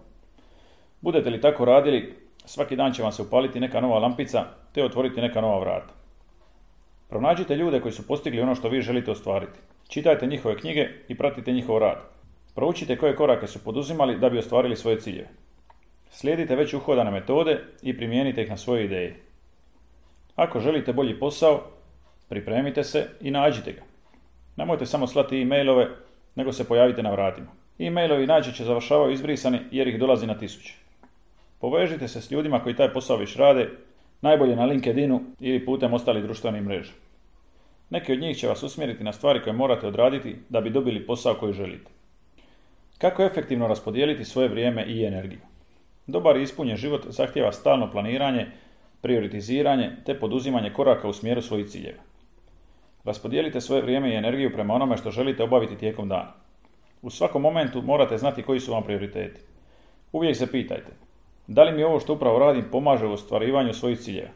Budete li tako radili, svaki dan će vam se upaliti neka nova lampica te otvoriti neka nova vrata. Pronađite ljude koji su postigli ono što vi želite ostvariti. Čitajte njihove knjige i pratite njihov rad. Proučite koje korake su poduzimali da bi ostvarili svoje ciljeve. Slijedite već uhodane metode i primijenite ih na svoje ideje. Ako želite bolji posao, pripremite se i nađite ga. Nemojte samo slati e-mailove, nego se pojavite na vratima. E-mailovi najčešće završavaju izbrisani jer ih dolazi na tisuće. Povežite se s ljudima koji taj posao već rade, najbolje na LinkedInu ili putem ostalih društvenih mreža. Neki od njih će vas usmjeriti na stvari koje morate odraditi da bi dobili posao koji želite. Kako efektivno raspodijeliti svoje vrijeme i energiju? Dobar i ispunjen život zahtijeva stalno planiranje, prioritiziranje te poduzimanje koraka u smjeru svojih ciljeva. Raspodijelite svoje vrijeme i energiju prema onome što želite obaviti tijekom dana. U svakom momentu morate znati koji su vam prioriteti. Uvijek se pitajte, da li mi ovo što upravo radim pomaže u ostvarivanju svojih ciljeva?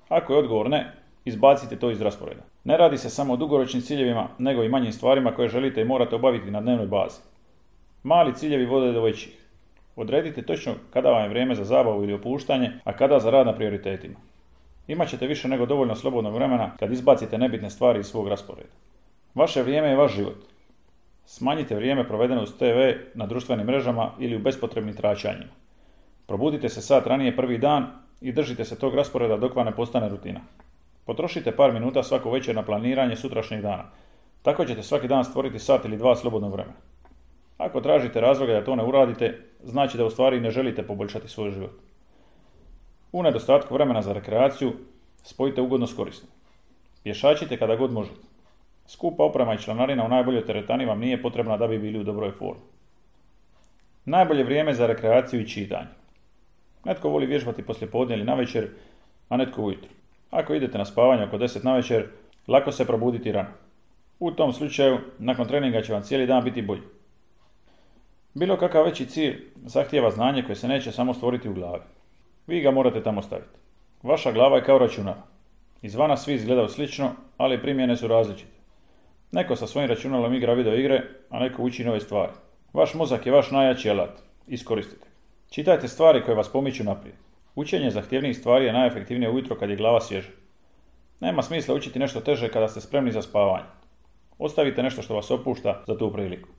Ako je odgovor ne, izbacite to iz rasporeda. Ne radi se samo o dugoročnim ciljevima, nego i manjim stvarima koje želite i morate obaviti na dnevnoj bazi. Mali ciljevi vode do većih. Odredite točno kada vam je vrijeme za zabavu ili opuštanje, a kada za rad na prioritetima. Imaćete više nego dovoljno slobodnog vremena kad izbacite nebitne stvari iz svog rasporeda. Vaše vrijeme je vaš život. Smanjite vrijeme provedeno uz te ve na društvenim mrežama ili u bespotrebnim tračanjima. Probudite se sat ranije prvi dan i držite se tog rasporeda dok vam ne postane rutina. Potrošite par minuta svako večer na planiranje sutrašnjeg dana. Tako ćete svaki dan stvoriti sat ili dva slobodnog vremena. Ako tražite razloge da to ne uradite, znači da u stvari ne želite poboljšati svoj život. U nedostatku vremena za rekreaciju, spojite ugodno s korisnim. Pješačite kada god možete. Skupa oprema i članarina u najboljoj teretani vam nije potrebna da bi bili u dobroj formi. Najbolje vrijeme za rekreaciju i čitanje. Netko voli vježbati poslijepodne ili navečer, a netko ujutro. Ako idete na spavanje oko deset navečer, lako se probuditi rano. U tom slučaju, nakon treninga će vam cijeli dan biti bolji. Bilo kakav veći cilj zahtijeva znanje koje se neće samo stvoriti u glavi. Vi ga morate tamo staviti. Vaša glava je kao računar. Izvana svi izgledaju slično, ali primjene su različite. Neko sa svojim računalom igra video igre, a neko uči nove stvari. Vaš mozak je vaš najjači alat. Iskoristite. Čitajte stvari koje vas pomiču naprijed. Učenje zahtjevnijih stvari je najefektivnije ujutro kad je glava svježa. Nema smisla učiti nešto teže kada ste spremni za spavanje. Ostavite nešto što vas opušta za tu priliku.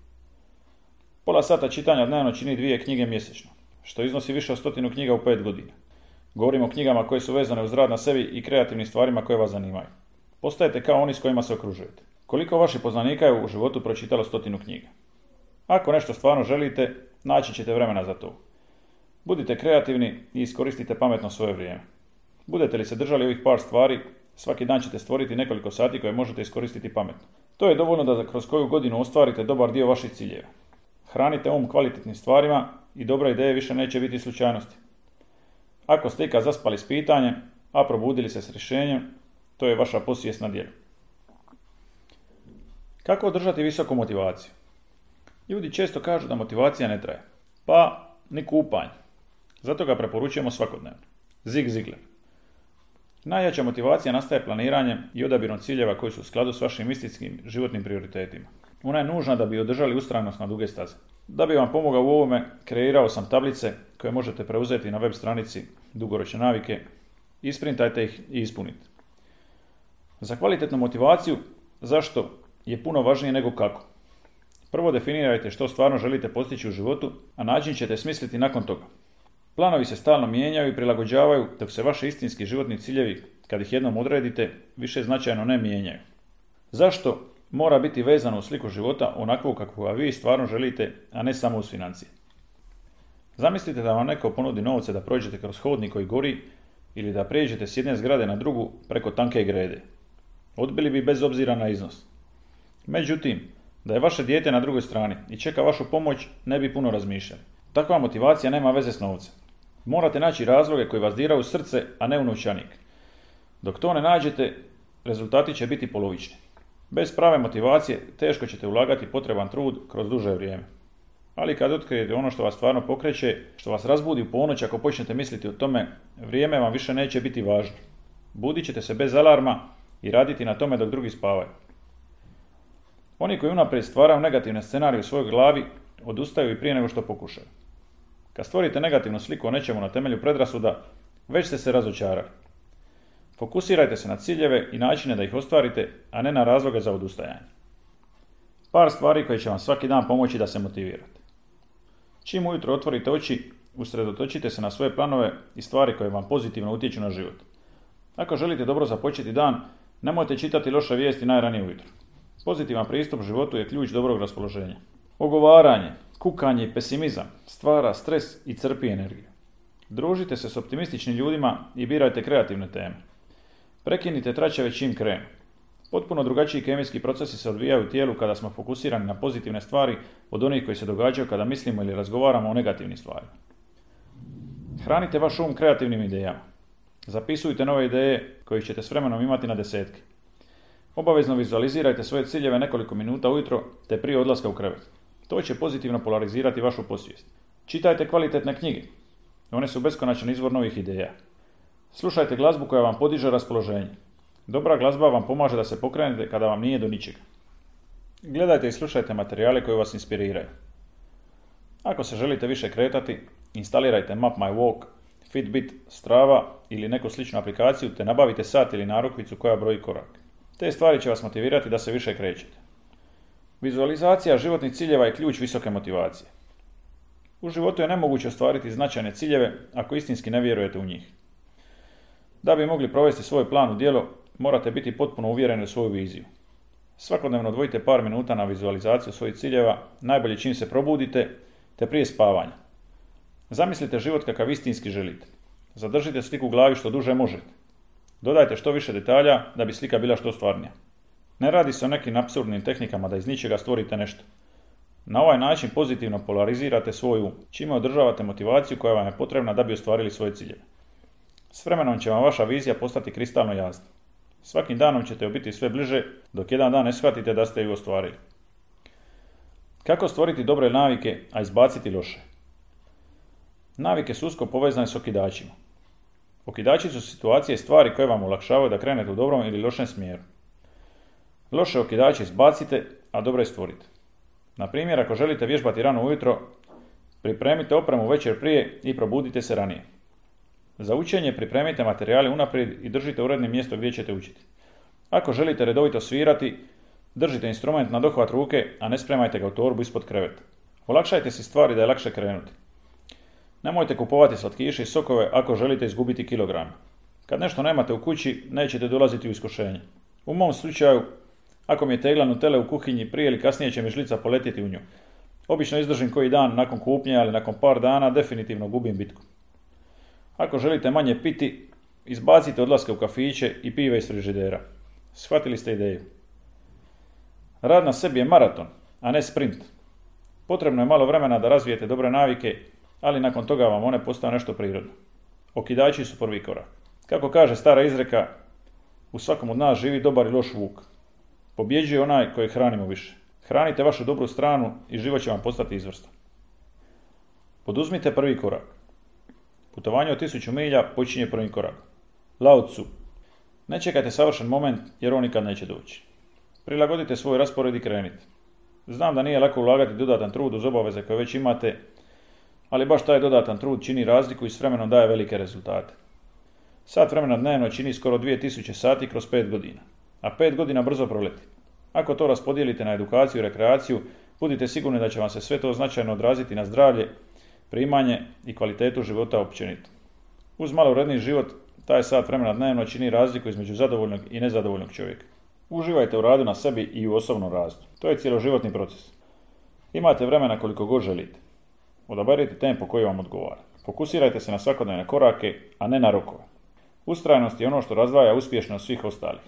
Pola sata čitanja dnevno čini dvije knjige mjesečno, što iznosi više od stotinu knjiga u pet godina. Govorimo o knjigama koje su vezane uz rad na sebi i kreativnim stvarima koje vas zanimaju. Postajete kao oni s kojima se okružujete. Koliko vaših poznanika je u životu pročitalo stotinu knjiga? Ako nešto stvarno želite, naći ćete vremena za to. Budite kreativni i iskoristite pametno svoje vrijeme. Budete li se držali ovih par stvari, svaki dan ćete stvoriti nekoliko sati koje možete iskoristiti pametno. To je dovoljno da kroz koju godinu ostvarite dobar dio vaših ciljeva. Hranite um kvalitetnim stvarima i dobra ideja više neće biti slučajnosti. Ako ste ikad zaspali s pitanjem, a probudili se s rješenjem, to je vaša podsvijest na djelu. Kako održati visoku motivaciju? Ljudi često kažu da motivacija ne traje. Pa, ni kupanje. Zato ga preporučujemo svakodnevno. Zig Ziglar. Najjača motivacija nastaje planiranjem i odabirom ciljeva koji su u skladu s vašim istinskim životnim prioritetima. Ona je nužna da bi održali ustrajnost na duge staze. Da bi vam pomogao u ovome, kreirao sam tablice koje možete preuzeti na web stranici Dugoročne navike, isprintajte ih i ispunite. Za kvalitetnu motivaciju, zašto je puno važnije nego kako. Prvo definirajte što stvarno želite postići u životu, a način ćete smisliti nakon toga. Planovi se stalno mijenjaju i prilagođavaju, dok se vaši istinski životni ciljevi, kad ih jednom odredite, više značajno ne mijenjaju. Zašto mora biti vezano u sliku života onakvu kakvu ga vi stvarno želite, a ne samo uz financije? Zamislite da vam neko ponudi novce da prođete kroz hodnik koji gori ili da prijeđete s jedne zgrade na drugu preko tanke grede. Odbili bi bez obzira na iznos. Međutim, da je vaše dijete na drugoj strani i čeka vašu pomoć, ne bi puno razmišljali. Takva motivacija nema veze s novcem. Morate naći razloge koji vas diraju u srce, a ne u novčanik. Dok to ne nađete, rezultati će biti polovični. Bez prave motivacije teško ćete ulagati potreban trud kroz duže vrijeme. Ali kad otkrijete ono što vas stvarno pokreće, što vas razbudi u ponoć ako počnete misliti o tome, vrijeme vam više neće biti važno. Budit ćete se bez alarma i raditi na tome dok drugi spavaju. Oni koji unaprijed stvaraju negativne scenarije u svojoj glavi, odustaju i prije nego što pokušaju. Kad stvorite negativnu sliku o nečemu na temelju predrasuda, već ste se razočarali. Fokusirajte se na ciljeve i načine da ih ostvarite, a ne na razloge za odustajanje. Par stvari koje će vam svaki dan pomoći da se motivirate. Čim ujutro otvorite oči, usredotočite se na svoje planove i stvari koje vam pozitivno utječu na život. Ako želite dobro započeti dan, nemojte čitati loše vijesti najranije ujutro. Pozitivan pristup životu je ključ dobrog raspoloženja. Ogovaranje, kukanje i pesimizam stvara stres i crpi energiju. Družite se s optimističnim ljudima i birajte kreativne teme. Prekinite tračeve čim krenu. Potpuno drugačiji kemijski procesi se odvijaju u tijelu kada smo fokusirani na pozitivne stvari od onih koji se događaju kada mislimo ili razgovaramo o negativnim stvarima. Hranite vaš um kreativnim idejama. Zapisujte nove ideje koje ćete s vremenom imati na desetke. Obavezno vizualizirajte svoje ciljeve nekoliko minuta ujutro te prije odlaska u krevet. To će pozitivno polarizirati vašu podsvijest. Čitajte kvalitetne knjige. One su beskonačan izvor novih ideja. Slušajte glazbu koja vam podiže raspoloženje. Dobra glazba vam pomaže da se pokrenete kada vam nije do ničega. Gledajte i slušajte materijale koji vas inspiriraju. Ako se želite više kretati, instalirajte Map My Walk, Fitbit, Strava ili neku sličnu aplikaciju te nabavite sat ili narukvicu koja broji korak. Te stvari će vas motivirati da se više krećete. Vizualizacija životnih ciljeva je ključ visoke motivacije. U životu je nemoguće ostvariti značajne ciljeve ako istinski ne vjerujete u njih. Da bi mogli provesti svoj plan u djelo, morate biti potpuno uvjereni u svoju viziju. Svakodnevno odvojite par minuta na vizualizaciju svojih ciljeva, najbolje čim se probudite, te prije spavanja. Zamislite život kakav istinski želite. Zadržite sliku u glavi što duže možete. Dodajte što više detalja da bi slika bila što stvarnija. Ne radi se o nekim apsurdnim tehnikama da iz ničega stvorite nešto. Na ovaj način pozitivno polarizirate svoju, čime održavate motivaciju koja vam je potrebna da bi ostvarili svoje ciljeve. S vremenom će vam vaša vizija postati kristalno jasna. Svakim danom ćete joj biti sve bliže, dok jedan dan ne shvatite da ste ju ostvarili. Kako stvoriti dobre navike, a izbaciti loše? Navike su usko povezane s okidačima. Okidači su situacije i stvari koje vam olakšavaju da krenete u dobrom ili lošem smjeru. Loše okidače izbacite, a dobre stvorite. Na primjer, ako želite vježbati rano ujutro, pripremite opremu večer prije i probudite se ranije. Za učenje pripremite materijale unaprijed i držite uredno mjesto gdje ćete učiti. Ako želite redovito svirati, držite instrument na dohvat ruke, a ne spremajte ga u torbu ispod kreveta. Olakšajte si stvari da je lakše krenuti. Nemojte kupovati slatkiše i sokove ako želite izgubiti kilograme. Kad nešto nemate u kući, nećete dolaziti u iskušenje. U mom slučaju, ako mi je tegla Nutelle u kuhinji, prije ili kasnije će mi žlica poletiti u nju. Obično izdržim koji dan nakon kupnje, ali nakon par dana definitivno gubim bitku. Ako želite manje piti, izbacite odlaske u kafiće i pive iz frižidera. Shvatili ste ideju. Rad na sebi je maraton, a ne sprint. Potrebno je malo vremena da razvijete dobre navike, ali nakon toga vam one postaju nešto prirodno. Okidači su prvi korak. Kako kaže stara izreka, u svakom od nas živi dobar i loš vuk. Pobjeđuje onaj koji hranimo više. Hranite vašu dobru stranu i život će vam postati izvrstan. Poduzmite prvi korak. Putovanje od tisuću milja počinje prvim korakom. Lao Tzu. Ne čekajte savršen moment jer on nikad neće doći. Prilagodite svoj raspored i krenite. Znam da nije lako ulagati dodatan trud uz obaveze koje već imate, ali baš taj dodatan trud čini razliku i s vremenom daje velike rezultate. Sat vremena dnevno čini skoro dvije tisuće sati kroz pet godina, a pet godina brzo proleti. Ako to raspodijelite na edukaciju i rekreaciju, budite sigurni da će vam se sve to značajno odraziti na zdravlje, primanje i kvalitetu života općenito. Uz malo uredniji život, taj sat vremena dnevno čini razliku između zadovoljnog i nezadovoljnog čovjeka. Uživajte u radu na sebi i u osobnom rastu. To je cjeloživotni proces. Imate vremena koliko god želite. Odaberite tempo koji vam odgovara. Fokusirajte se na svakodnevne korake, a ne na rokove. Ustrajnost je ono što razdvaja uspješnost svih ostalih.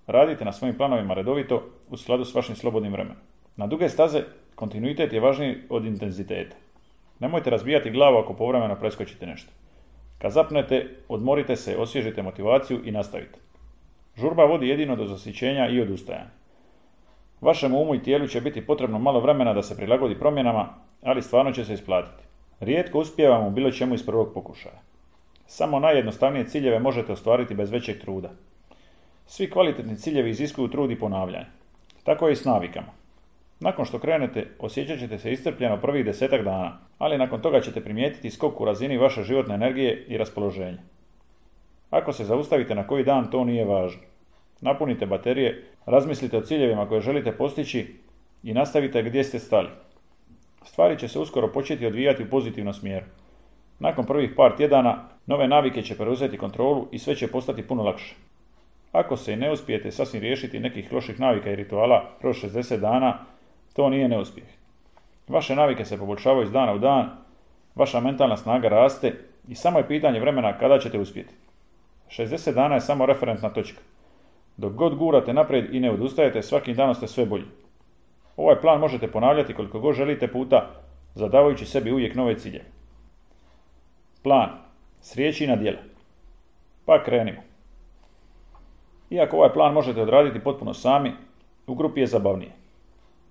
Radite na svojim planovima redovito u skladu s vašim slobodnim vremenom. Na duge staze kontinuitet je važniji od intenziteta. Nemojte razbijati glavu ako povremeno preskočite nešto. Kad zapnete, odmorite se, osvježite motivaciju i nastavite. Žurba vodi jedino do zasićenja i odustajanja. Vašem umu i tijelu će biti potrebno malo vremena da se prilagodi promjenama, ali stvarno će se isplatiti. Rijetko uspijevamo u bilo čemu iz prvog pokušaja. Samo najjednostavnije ciljeve možete ostvariti bez većeg truda. Svi kvalitetni ciljevi iziskuju trud i ponavljanje. Tako je i s navikama. Nakon što krenete, osjećat ćete se iscrpljeno prvih desetak dana, ali nakon toga ćete primijetiti skok u razini vaše životne energije i raspoloženja. Ako se zaustavite na koji dan, to nije važno. Napunite baterije, razmislite o ciljevima koje želite postići i nastavite gdje ste stali. Stvari će se uskoro početi odvijati u pozitivnom smjeru. Nakon prvih par tjedana, nove navike će preuzeti kontrolu i sve će postati puno lakše. Ako se i ne uspijete sasvim riješiti nekih loših navika i rituala kroz šezdeset dana, to nije neuspjeh. Vaše navike se poboljšavaju iz dana u dan, vaša mentalna snaga raste i samo je pitanje vremena kada ćete uspjeti. šezdeset dana je samo referentna točka. Dok god gurate naprijed i ne odustajete, svakim danom ste sve bolji. Ovaj plan možete ponavljati koliko god želite puta, zadavajući sebi uvijek nove ciljeve. Plan. S riječi na djela. Pa krenimo. Iako ovaj plan možete odraditi potpuno sami, u grupi je zabavnije.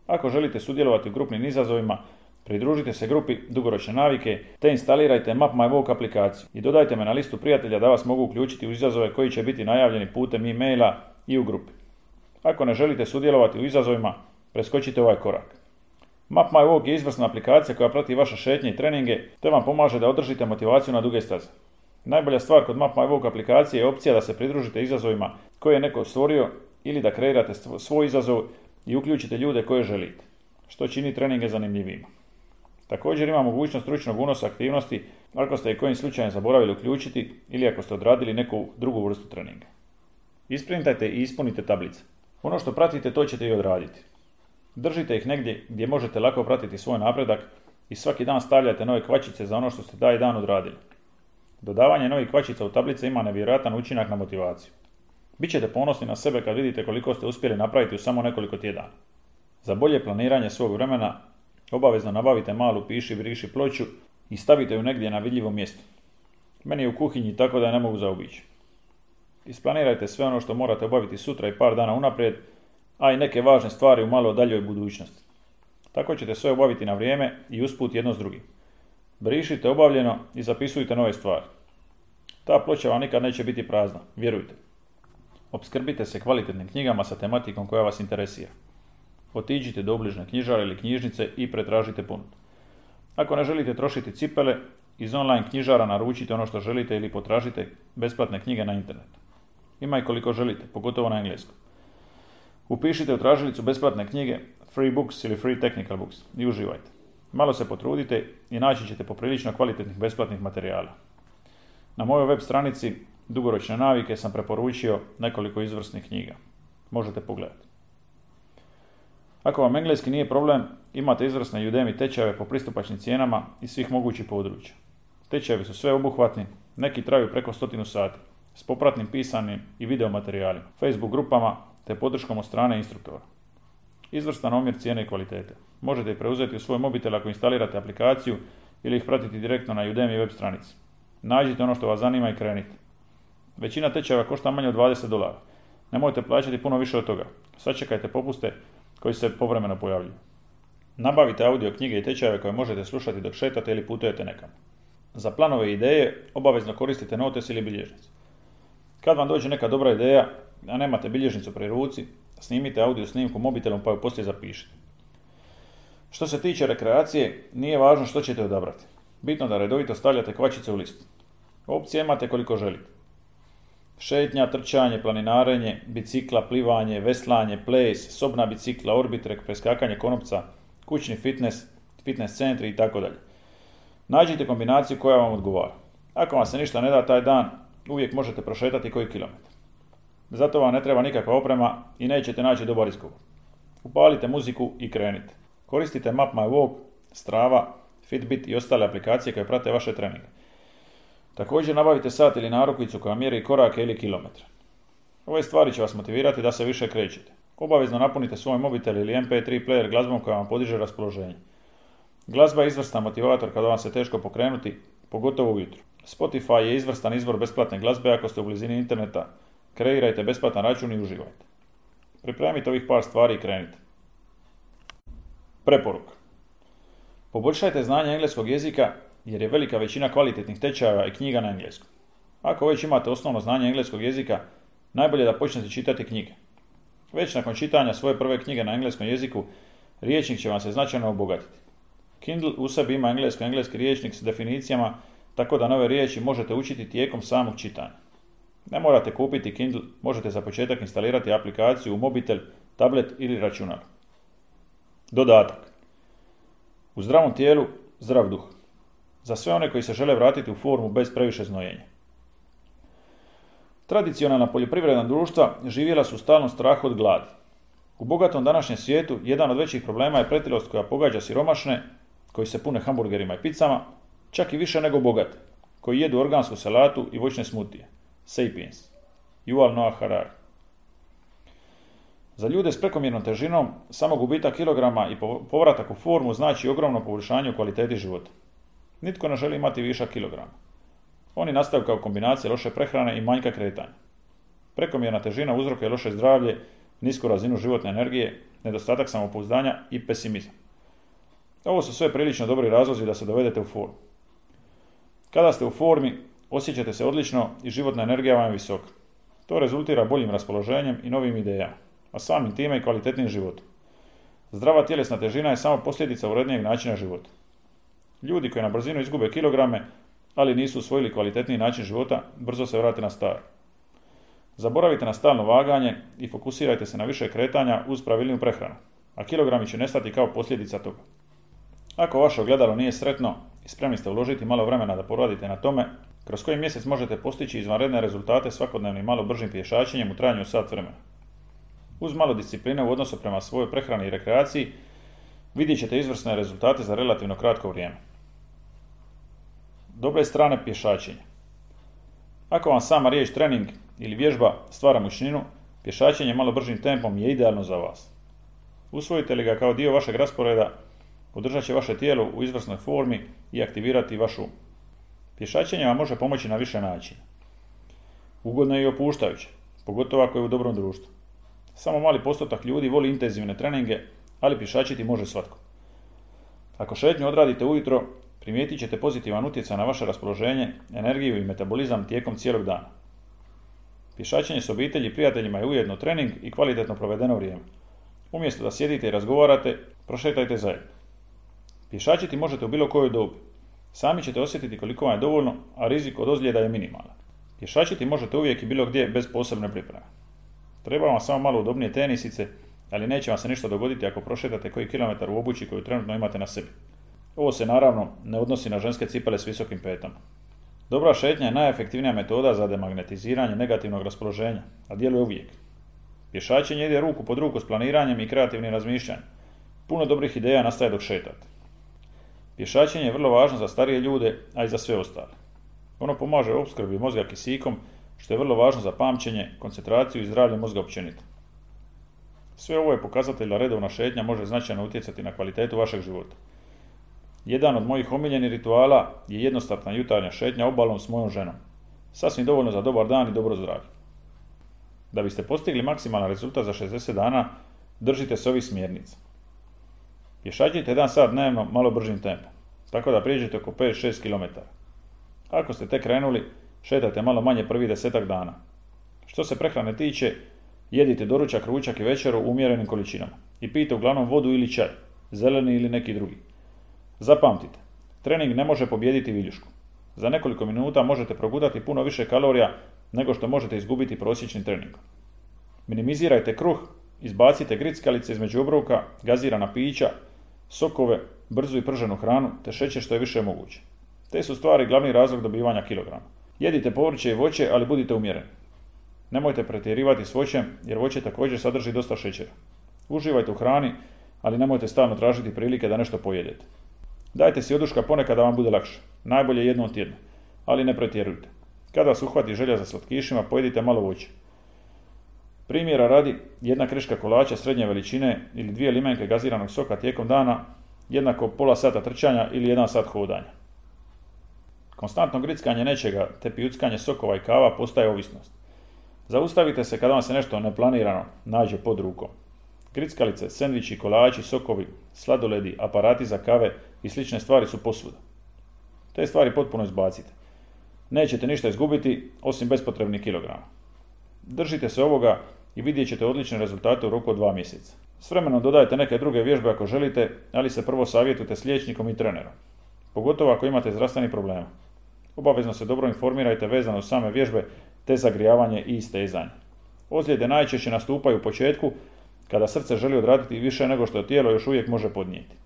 Ako želite sudjelovati u grupnim izazovima, pridružite se grupi Dugoročne navike te instalirajte Map My Walk aplikaciju i dodajte me na listu prijatelja da vas mogu uključiti u izazove koji će biti najavljeni putem e-maila i u grupi. Ako ne želite sudjelovati u izazovima, preskočite ovaj korak. Map My Walk je izvrsna aplikacija koja prati vaše šetnje i treninge te vam pomaže da održite motivaciju na duge staze. Najbolja stvar kod Map My Walk aplikacije je opcija da se pridružite izazovima koje je neko stvorio ili da kreirate svoj izazov i uključite ljude koje želite, što čini treninge zanimljivima. Također ima mogućnost ručnog unosa aktivnosti ako ste i kojim slučajem zaboravili uključiti ili ako ste odradili neku drugu vrstu treninga. Isprintajte i ispunite tablice. Ono što pratite to ćete i odraditi. Držite ih negdje gdje možete lako pratiti svoj napredak i svaki dan stavljate nove kvačice za ono što ste taj dan odradili. Dodavanje novih kvačica u tablice ima nevjerojatan učinak na motivaciju. Bićete ponosni na sebe kad vidite koliko ste uspjeli napraviti u samo nekoliko tjedana. Za bolje planiranje svog vremena obavezno nabavite malu piši briši ploču i stavite ju negdje na vidljivo mjesto. Meni je u kuhinji tako da je ne mogu zaobići. Isplanirajte sve ono što morate obaviti sutra i par dana unaprijed, a i neke važne stvari u malo daljoj budućnosti. Tako ćete sve obaviti na vrijeme i usput jedno s drugim. Brišite obavljeno i zapisujte nove stvari. Ta ploča vam nikad neće biti prazna, vjerujte. Opskrbite se kvalitetnim knjigama sa tematikom koja vas interesira. Otiđite do obližne knjižare ili knjižnice i pretražite ponudu. Ako ne želite trošiti cipele, iz online knjižara naručite ono što želite ili potražite besplatne knjige na internetu. Ima i koliko želite, pogotovo na engleskom. Upišite u tražilicu besplatne knjige, free books ili free technical books i uživajte. Malo se potrudite i naći ćete poprilično kvalitetnih besplatnih materijala. Na mojoj web stranici Dugoročne navike sam preporučio nekoliko izvrsnih knjiga. Možete pogledati. Ako vam engleski nije problem, imate izvrsne Udemy tečajeve po pristupačnim cijenama iz svih mogućih područja. Tečajevi su sveobuhvatni, neki traju preko stotinu sati, s popratnim pisanim i video materijalima, Facebook grupama te podrškom od strane instruktora. Izvrstan omjer cijene i kvalitete. Možete ih preuzeti u svoj mobitel ako instalirate aplikaciju ili ih pratiti direktno na Udemy web stranici. Nađite ono što vas zanima i krenite. Većina tečajeva košta manje od dvadeset dolara. Nemojte plaćati puno više od toga. Sačekajte popuste koji se povremeno pojavljuju. Nabavite audio knjige i tečajeve koje možete slušati dok šetate ili putujete nekam. Za planove i ideje obavezno koristite notes ili bilježnicu. Kad vam dođe neka dobra ideja, a nemate bilježnicu pri ruci, snimite audio snimku mobitelom pa ju poslije zapišite. Što se tiče rekreacije, nije važno što ćete odabrati. Bitno da redovito stavljate kvačice u listu. Opcije imate koliko želite. Šetnja, trčanje, planinarenje, bicikla, plivanje, veslanje, ples, sobna bicikla, orbitrek, preskakanje konopca, kućni fitness, fitness centri itd. Nađite kombinaciju koja vam odgovara. Ako vam se ništa ne da taj dan, uvijek možete prošetati koji kilometar. Zato vam ne treba nikakva oprema i nećete naći dobar izgovor. Upalite muziku i krenite. Koristite Map My Walk, Strava, Fitbit i ostale aplikacije koje prate vaše treninge. Također nabavite sat ili narukvicu koja mjeri korake ili kilometre. Ove stvari će vas motivirati da se više krećete. Obavezno napunite svoj mobitel ili em pe tri player glazbom koja vam podiže raspoloženje. Glazba je izvrstan motivator kada vam se teško pokrenuti, pogotovo ujutro. Spotify je izvrstan izvor besplatne glazbe ako ste u blizini interneta. Kreirajte besplatan račun i uživajte. Pripremite ovih par stvari i krenite. Preporuka. Poboljšajte znanje engleskog jezika jer je velika većina kvalitetnih tečajeva i knjiga na engleskom. Ako već imate osnovno znanje engleskog jezika, najbolje da počnete čitati knjige. Već nakon čitanja svoje prve knjige na engleskom jeziku, riječnik će vam se značajno obogatiti. Kindle u sebi ima englesko-engleski riječnik s definicijama, tako da nove riječi možete učiti tijekom samog čitanja. Ne morate kupiti Kindle, možete za početak instalirati aplikaciju u mobitel, tablet ili računar. Dodatak. U zdravom tijelu, zdrav duh. Za sve one koji se žele vratiti u formu bez previše znojenja. Tradicionalna poljoprivredna društva živjela su u stalnom strahu od gladi. U bogatom današnjem svijetu jedan od većih problema je pretilost koja pogađa siromašne, koji se pune hamburgerima i picama, čak i više nego bogate, koji jedu organsku salatu i voćne smutije. Sapiens. Yuval Noah Harari. Za ljude s prekomjernom težinom, samo gubitak kilograma i povratak u formu znači ogromno poboljšanje u kvaliteti života. Nitko ne želi imati višak kilograma. Oni nastaju kao kombinacija loše prehrane i manjka kretanja. Prekomjerna težina uzrokuje loše zdravlje, nisku razinu životne energije, nedostatak samopouzdanja i pesimizam. Ovo su sve prilično dobri razlozi da se dovedete u formu. Kada ste u formi, osjećate se odlično i životna energija vam je visoka. To rezultira boljim raspoloženjem i novim idejama, a samim time i kvalitetnim životom. Zdrava tjelesna težina je samo posljedica urednijeg načina života. Ljudi koji na brzinu izgube kilograme, ali nisu usvojili kvalitetniji način života, brzo se vrate na staro. Zaboravite na stalno vaganje i fokusirajte se na više kretanja uz pravilniju prehranu, a kilogrami će nestati kao posljedica toga. Ako vaše ogledalo nije sretno i spremni ste uložiti malo vremena da poradite na tome, kroz koji mjesec možete postići izvanredne rezultate svakodnevnim malo bržim pješačenjem u trajanju sat vremena. Uz malo discipline u odnosu prema svojoj prehrani i rekreaciji, vidjet ćete izvrsne rezultate za relativno kratko vrijeme. Dobre strane pješačenja. Ako vam sama riječ trening ili vježba stvara mučninu, pješačenje malo bržim tempom je idealno za vas. Usvojite li ga kao dio vašeg rasporeda, održat će vaše tijelo u izvrsnoj formi i aktivirati vaš um. Pješačenje vam može pomoći na više načina. Ugodno je i opuštajuće, pogotovo ako je u dobrom društvu. Samo mali postotak ljudi voli intenzivne treninge, ali pješačiti može svatko. Ako šetnju odradite ujutro, primijetit ćete pozitivan utjecaj na vaše raspoloženje, energiju i metabolizam tijekom cijelog dana. Pješačenje s obitelji i prijateljima je ujedno trening i kvalitetno provedeno vrijeme. Umjesto da sjedite i razgovarate, prošetajte zajedno. Pješačiti možete u bilo kojoj dobi. Sami ćete osjetiti koliko vam je dovoljno, a rizik od ozljeda je minimalan. Pješačiti možete uvijek i bilo gdje bez posebne pripreme. Treba vam samo malo udobnije tenisice, ali neće vam se ništa dogoditi ako prošetate koji kilometar u obući koju trenutno imate na sebi. Ovo se naravno ne odnosi na ženske cipele s visokim petama. Dobra šetnja je najefektivnija metoda za demagnetiziranje negativnog raspoloženja, a djeluje uvijek. Pješačenje ide ruku pod ruku s planiranjem i kreativnim razmišljanjem. Puno dobrih ideja nastaje dok šetate. Pješačenje je vrlo važno za starije ljude, a i za sve ostale. Ono pomaže opskrbi mozga kisikom, što je vrlo važno za pamćenje, koncentraciju i zdravlje mozga općenito. Sve ovo je pokazatelj da redovna šetnja može značajno utjecati na kvalitetu vašeg života. Jedan od mojih omiljenih rituala je jednostavna jutarnja šetnja obalom s mojom ženom. Sasvim dovoljno za dobar dan i dobro zdravlje. Da biste postigli maksimalan rezultat za šezdeset dana, držite se ovih smjernica. Pješačite jedan sat dnevno malo bržim tempom, tako da prijeđete oko pet do šest kilometara. Ako ste tek krenuli, šetajte malo manje prvih desetak dana. Što se prehrane tiče, jedite doručak, ručak i večeru u umjerenim količinama i pijte uglavnom vodu ili čaj, zeleni ili neki drugi. Zapamtite, trening ne može pobijediti viljušku. Za nekoliko minuta možete progutati puno više kalorija nego što možete izgubiti prosječnim treningom. Minimizirajte kruh, izbacite grickalice između obroka, gazirana pića, sokove, brzu i prženu hranu te šećer što je više moguće. Te su stvari glavni razlog dobivanja kilograma. Jedite povrće i voće, ali budite umjereni. Nemojte pretjerivati s voćem jer voće također sadrži dosta šećera. Uživajte u hrani, ali nemojte stalno tražiti prilike da nešto pojedete. Dajte si oduška ponekad da vam bude lakše. Najbolje jednom tjedno, ali ne pretjerujte. Kada vas uhvati želja za slatkišima, pojedite malo voća. Primjera radi, jedna kriška kolača srednje veličine ili dvije limenke gaziranog soka tijekom dana, jednako pola sata trčanja ili jedan sat hodanja. Konstantno grickanje nečega te pijuckanje sokova i kava postaje ovisnost. Zaustavite se kada vam se nešto neplanirano nađe pod rukom. Grickalice, sendviči, kolači, sokovi, sladoledi, aparati za kave i slične stvari su posvuda. Te stvari potpuno izbacite. Nećete ništa izgubiti osim bespotrebnih kilograma. Držite se ovoga i vidjet ćete odlične rezultate u roku od dva mjeseca. S vremenom dodajte neke druge vježbe ako želite, ali se prvo savjetujte s liječnikom i trenerom. Pogotovo ako imate zdravstvenih problema. Obavezno se dobro informirajte vezano uz same vježbe te zagrijavanje i istezanje. Ozljede najčešće nastupaju u početku kada srce želi odraditi više nego što tijelo još uvijek može podnijeti.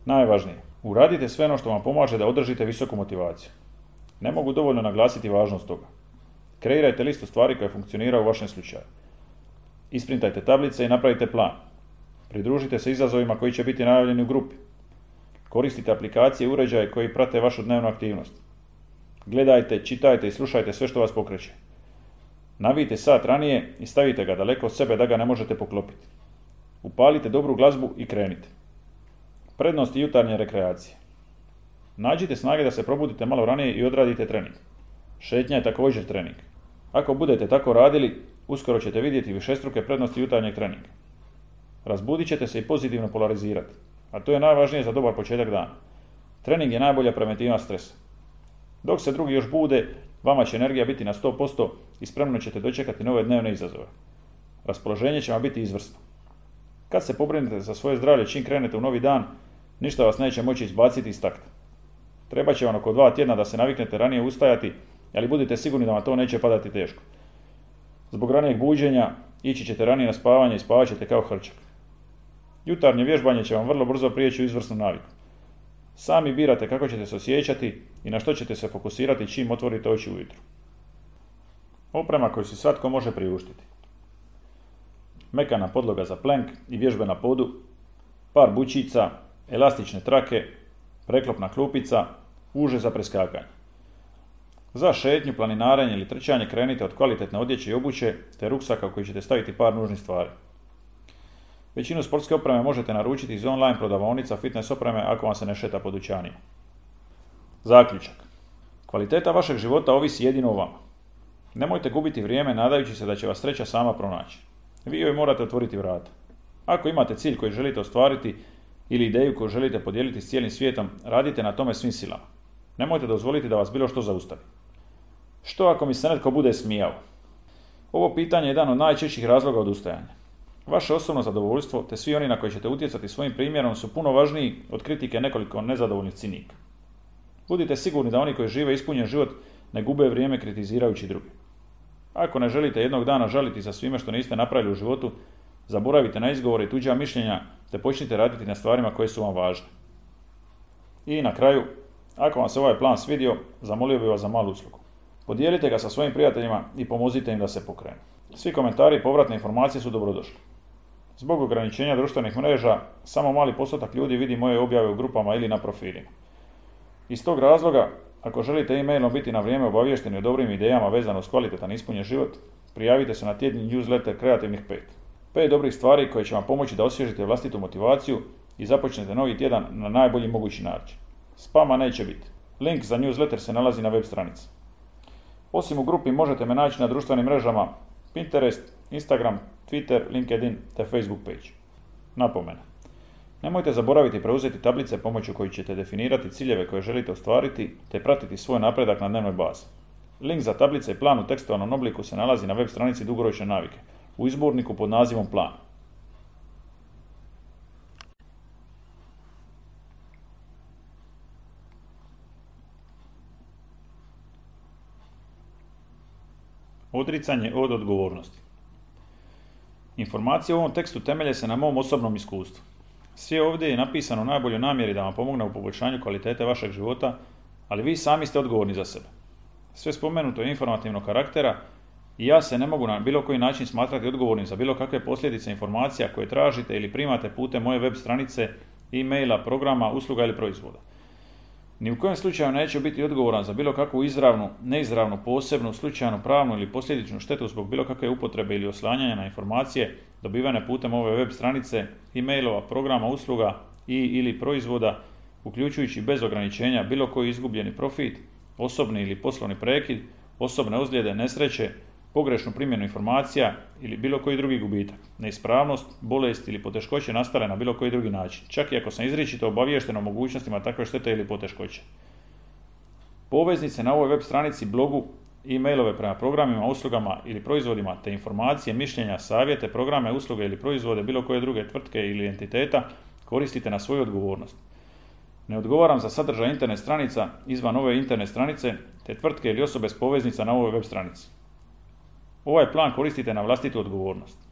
Najvažnije, uradite sve ono što vam pomaže da održite visoku motivaciju. Ne mogu dovoljno naglasiti važnost toga. Kreirajte listu stvari koje funkcioniraju u vašem slučaju. Isprintajte tablice i napravite plan. Pridružite se izazovima koji će biti najavljeni u grupi. Koristite aplikacije i uređaje koji prate vašu dnevnu aktivnost. Gledajte, čitajte i slušajte sve što vas pokreće. Navijte sat ranije i stavite ga daleko od sebe da ga ne možete poklopiti. Upalite dobru glazbu i krenite. Prednosti jutarnje rekreacije. Nađite snage da se probudite malo ranije i odradite trening. Šetnja je također trening. Ako budete tako radili, uskoro ćete vidjeti višestruke prednosti jutarnjeg treninga. Razbudit ćete se i pozitivno polarizirati, a to je najvažnije za dobar početak dana. Trening je najbolja preventiva stresa. Dok se drugi još bude, vama će energija biti na sto posto i spremno ćete dočekati nove dnevne izazove. Raspoloženje će vam biti izvrsno. Kad se pobrinete za svoje zdravlje čim krenete u novi dan, ništa vas neće moći izbaciti iz takta. Treba će vam oko dva tjedna da se naviknete ranije ustajati, ali budite sigurni da vam to neće padati teško. Zbog ranijeg buđenja ići ćete ranije na spavanje i spavat ćete kao hrčak. Jutarnje vježbanje će vam vrlo brzo prijeći u izvrsnu naviku. Sami birate kako ćete se osjećati i na što ćete se fokusirati čim otvorite oči ujutro. Oprema koju si svatko može priuštiti. Mekana podloga za plank i vježbe na podu, par bučica, elastične trake, preklopna klupica, uže za preskakanje. Za šetnju, planinarenje ili trčanje krenite od kvalitetne odjeće i obuće te ruksaka u koji ćete staviti par nužnih stvari. Većinu sportske opreme možete naručiti iz online prodavaonica fitness opreme ako vam se ne šeta po dućanima. Zaključak. Kvaliteta vašeg života ovisi jedino o vama. Nemojte gubiti vrijeme nadajući se da će vas sreća sama pronaći. Vi joj morate otvoriti vrata. Ako imate cilj koji želite ostvariti ili ideju koju želite podijeliti s cijelim svijetom, radite na tome svim silama. Nemojte dozvoliti da vas bilo što zaustavi. Što ako mi se netko bude smijao? Ovo pitanje je jedan od najčešćih razloga odustajanja. Vaše osobno zadovoljstvo te svi oni na koji ćete utjecati svojim primjerom su puno važniji od kritike nekoliko nezadovoljnih cinika. Budite sigurni da oni koji žive ispunjen život ne gube vrijeme kritizirajući druge. Ako ne želite jednog dana žaliti za svime što niste napravili u životu, zaboravite na izgovore i tuđa mišljenja te počnite raditi na stvarima koje su vam važne. I na kraju, ako vam se ovaj plan svidio, zamolio bih vas za malu uslugu. Podijelite ga sa svojim prijateljima i pomozite im da se pokrenu. Svi komentari i povratne informacije su dobrodošli. Zbog ograničenja društvenih mreža, samo mali postotak ljudi vidi moje objave u grupama ili na profilima. Iz tog razloga, ako želite e-mailom biti na vrijeme obaviješteni o dobrim idejama vezano s kvalitetan ispunjen život, prijavite se na tjedni newsletter Kreativnih pet. Pet dobrih stvari koje će vam pomoći da osvježite vlastitu motivaciju i započnete novi tjedan na najbolji mogući način. Spama neće biti. Link za newsletter se nalazi na web stranici. Osim u grupi možete me naći na društvenim mrežama Pinterest, Instagram, Twitter, LinkedIn te Facebook page. Napomena. Nemojte zaboraviti preuzeti tablice pomoću kojih ćete definirati ciljeve koje želite ostvariti te pratiti svoj napredak na dnevnoj bazi. Link za tablice i plan u tekstualnom obliku se nalazi na web stranici Dugoročne navike u izborniku pod nazivom Plan. Odricanje od odgovornosti. Informacije u ovom tekstu temelje se na mom osobnom iskustvu. Sve ovdje je napisano u najboljoj namjeri da vam pomogne u poboljšanju kvalitete vašeg života, ali vi sami ste odgovorni za sebe. Sve spomenuto je informativnog karaktera i ja se ne mogu na bilo koji način smatrati odgovornim za bilo kakve posljedice informacija koje tražite ili primate putem moje web stranice, e-maila, programa, usluga ili proizvoda. Ni u kojem slučaju neću biti odgovoran za bilo kakvu izravnu, neizravnu, posebnu, slučajnu, pravnu ili posljedičnu štetu zbog bilo kakve upotrebe ili oslanjanja na informacije dobivene putem ove web stranice, e-mailova, programa, usluga i ili proizvoda, uključujući bez ograničenja bilo koji izgubljeni profit, osobni ili poslovni prekid, osobne ozljede, nesreće, pogrešnu primjenu informacija ili bilo koji drugi gubitak, neispravnost, bolest ili poteškoće nastale na bilo koji drugi način, čak i ako sam izričito obaviješten o mogućnostima takve štete ili poteškoće. Poveznice na ovoj web stranici, blogu, e-mailove prema programima, uslugama ili proizvodima te informacije, mišljenja, savjete, programe, usluge ili proizvode bilo koje druge tvrtke ili entiteta koristite na svoju odgovornost. Ne odgovaram za sadržaj internet stranica izvan ove internet stranice te tvrtke ili osobe s poveznica na ovoj web stranici. Ovaj plan koristite na vlastitu odgovornost.